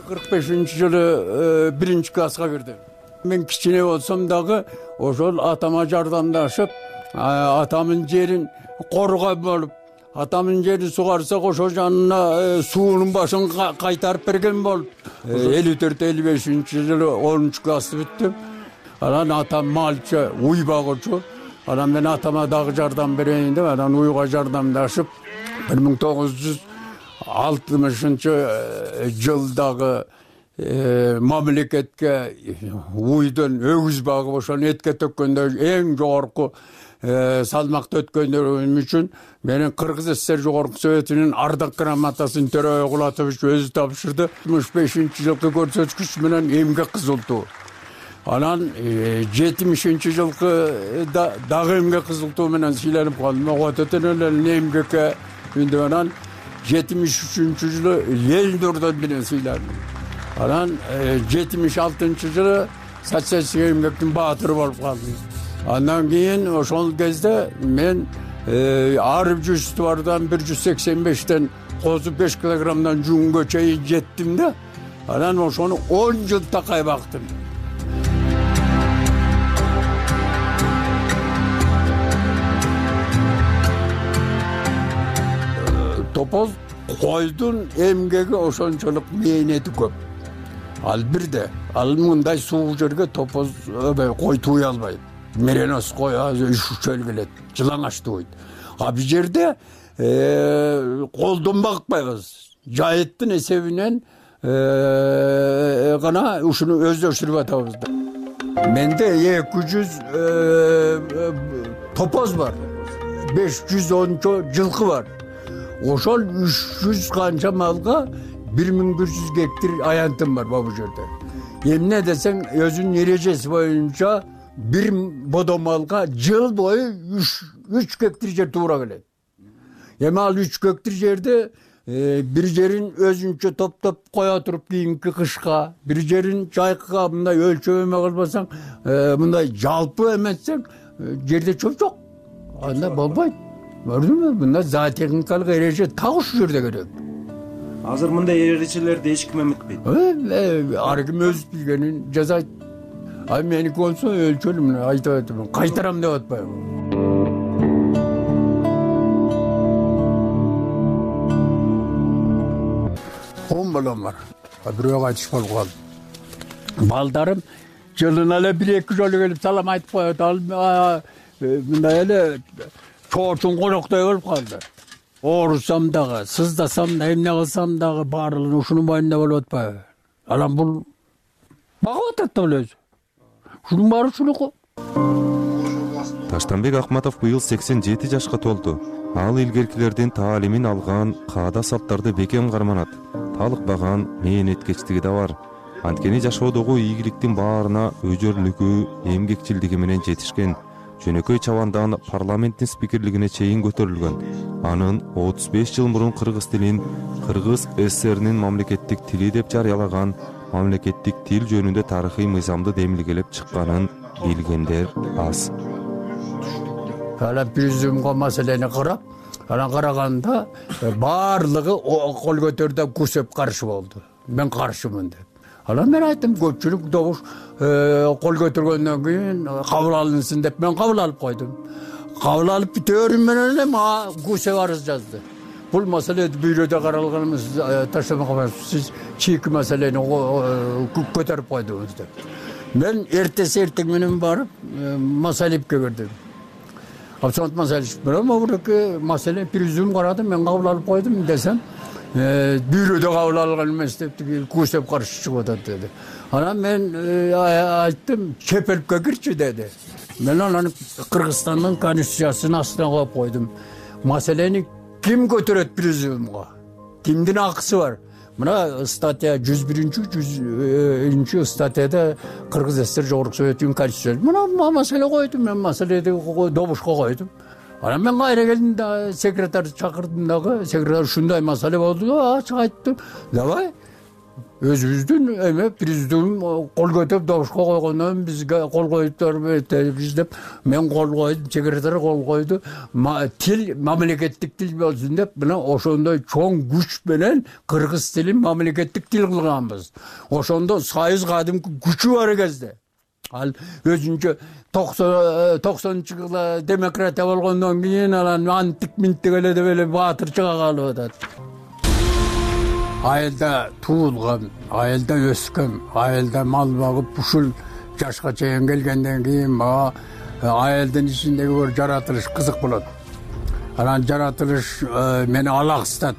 45-жылы 1-класска кирдим. Мен кичине болсом дагы ошол атама жардамдашып, атамдын жерин коргой болуп, атамдын жерин сугарсак ошол жанына суунун башын кайтарып берген болуп, 54-55-жылы 10-классты бүттүм. Анан атам малчы, уй багуучу. Анан мен атама дагы жардам берейин деп, анан уйга жардамдашып 1960-жылдагы мамлекетке уйдун өгүз багып ошону этке төккөндө эң жогорку салмакты өткөндөрүм үчүн менин Кыргыз СССР Жогорку Советинин ардак грамотасын Төрөбай Кулатович өзү тапшырды. 65-жылкы көрсөткүч менен эмгек кызылтуу. Анан 70-жылкы дагы эмгек кызылтуу менен сыйланып калдым. Ототон эле эмгекке үндө анан 73-жылы эл ордон менен сыйландым. Анан 76-жылы социалистик эмгектин баатыры болуп калдым. Андан кийин ошол кезде мен ар жуштубардан 185тен козу 5 килограммдан жунгө чейин жеттим да. Анан ошону 10 жыл такай бактым. Топоз койдун эмгеги ошончолук мээнети көп. Ал бирде ал мындай суук жерге топоз кой тууй албайт. Меренос кой üşüşөл келет, жылаңач тууйт. А бул жерде колдон багытпайбыз. Жайыттын эсебинен гана ушуну өздөштүрүп атабыз. Менде 200 топоз бар, 510 жылкы бар. Ошол 300 канча малга 1100 гектар аянтым бар бул жерде. Эмне десең, өзүнүн эрежеси боюнча бир бодом малга жыл бою 3 гектар жер туура келет. Эми ал 3 гектар жерде бир жерин өзүнчө топтоп кое туруп кийинки кышка, бир жерин жайкыга мындай өлчөп эме кылбасаң, мындай жалпы эметсең, жерде чөп жок. Анда болбойт. Көрдүңбү? Мында зоотехникалык эреже так ушул жерде керек. Азыр мындай эрежелерди эч ким эметпейт. Ар ким өз билгенин жасайт. Ай меники болсо өлчөлүм, айтып атам, кайтарам деп атпайбы. Балам бар. Бирөө кайтыш болуп калды. Балдарым жылына эле 1-2 жолу келип салам айтып коет. Ал мындай эле чоочун коноктой болуп калды. Оорусам дагы, сыздасам да, эмне кылсам дагы баардыгы ушунун боюнда болуп атпайбы? Анан бул багып атат да өзү. Ушунун баары ушунуку. Таштанбек Акматов быйыл 87 жашка толду. Ал илгеркилердин таалимин алган, каада салттарды бекем карманат. Талыкпаган мээнеткечтиги да бар. Анткени жашоодогу ийгиликтин баарына өжөрлүгү, эмгекчилдиги менен жетишкен. Жөнөкөй чабандан парламенттин спикерлигине чейин көтөрүлгөн. Анын 35 жыл мурун кыргыз тилин Кыргыз ССРнин мамлекеттик тили деп жарыялаган, мамлекеттик тил жөнүндө тарыхый мыйзамды демилгелеп чыкканын билгендер аз. Президентка маселени карап, анан караганда баардыгы кол көтөрүп күсөп каршы болду. Мен каршымын деп. Анан мен айттым, көпчүлүк добуш кол көтөргөндөн кийин кабыл алынсын деп мен кабыл алып койдум. Кабыл алып бүтөөрүм менен эле мага күсөп арыз жазды. Бул маселе бюродо каралганыбыз таштабай, сиз чийки маселени көтөрүп койдуңуз деп. Мен эртең менен барып Масалипке бердим. Абсолютно Масалип. Бирок маселе президиум карады, мен кабыл алып койдум десем, бюродо кабыл алган эмес деп күсөп каршы чыгып атат деди. Анан мен айттым, Чепелипке кирчи деди. Мен анан Кыргызстандын конституциясынын астына коюп койдум. Маселени ким көтөрөт президиумга? Кимдин акысы бар? Мына статья 101-101 статьяда Кыргыз ССР Жогорку Советтин конституциясы. Мына маселе койдум, мен маселеди добушка койдум. Анан мен кайра келдим да секретарь чакырдым дагы, секретарь ушундай маселе болду, ачык айттым. Давай өзүбүздүн эме президиум кол көтөрүп добушка койгондон бизге кол коюптарбыз деп мен кол койдум, секретарь кол койду. Тил мамлекеттик тил болсун деп мына ошондой чоң күч менен кыргыз тилин мамлекеттик тил кылганбыз. Ошондо союз кадимки күчү бар кезде. Ал өзүнчө 90-жылы демократия болгондон кийин анан антик минтик эле деп эле баатырчыга калып атат. Айылда туулган, айылда өскөн, айылда мал багып ушул жашка чейин келгенден кийин мага айылдын ичиндеги бир жаратылыш кызык болот. Анан жаратылыш мени алаксытат.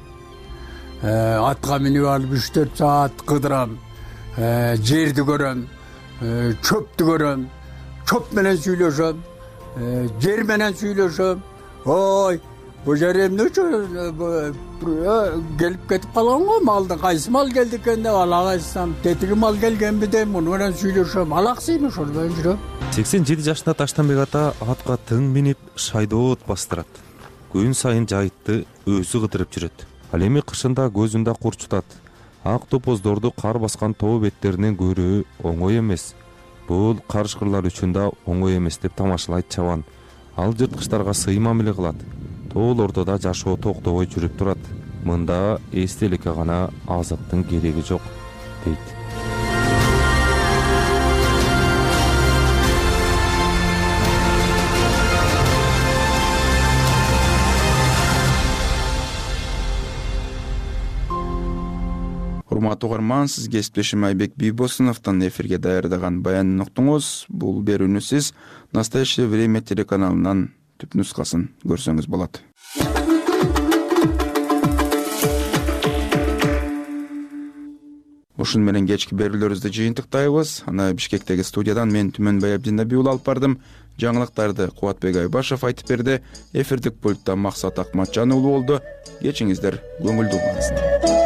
Атка минип алып 3-4 саат кыдырам, жерди көрөм, чөптү көрөм, чөп менен сүйлөшөм, жер менен сүйлөшөм. Ой, бул жер эмне үчүн келип кетип калган го, малды кайсы мал келди экен деп алакайсам, тетиги мал келгенби деп муну менен сүйлөшөм, алаксыйм ошол менен жүрөм. 87 жашында Таштанбек ата атка тың минип шайдоот бастырат. Күн сайын жайытты өзү кыдырып жүрөт. Ал эми кышында көзүндө курчутат. Ак топоздорду кар баскан тоо беттеринен көрүү оңой эмес. Бул карышкырлар үчүн да оңой эмес деп тамашалайт чабан. Ал жырткычтарга сый мамиле кылат. Тоолордо да жашоо токтобой жүрүп турат. Мында эстеликке гана азаттын кереги жок, дейт. урматтуу угарман, сиз кесиптешим Айбек Бийбосуновдун эфирге даярдаган баянын уктуңуз. Бул берүүнү сиз Настоящее время телеканалынан түп нускасын көрсөңүз болот. Ушун менен кечки берүүлөрүбүздү жыйынтыктайбыз. Аны Бишкектеги студиядан мен Түмөнбай Абдинабиул алып бардым. Жаңылыктарды Кубатбек Айбашев айтып берди. Эфирдик пультта Максат Акматжан уулу болду. Кечиңиздер көңүлдүү болсун.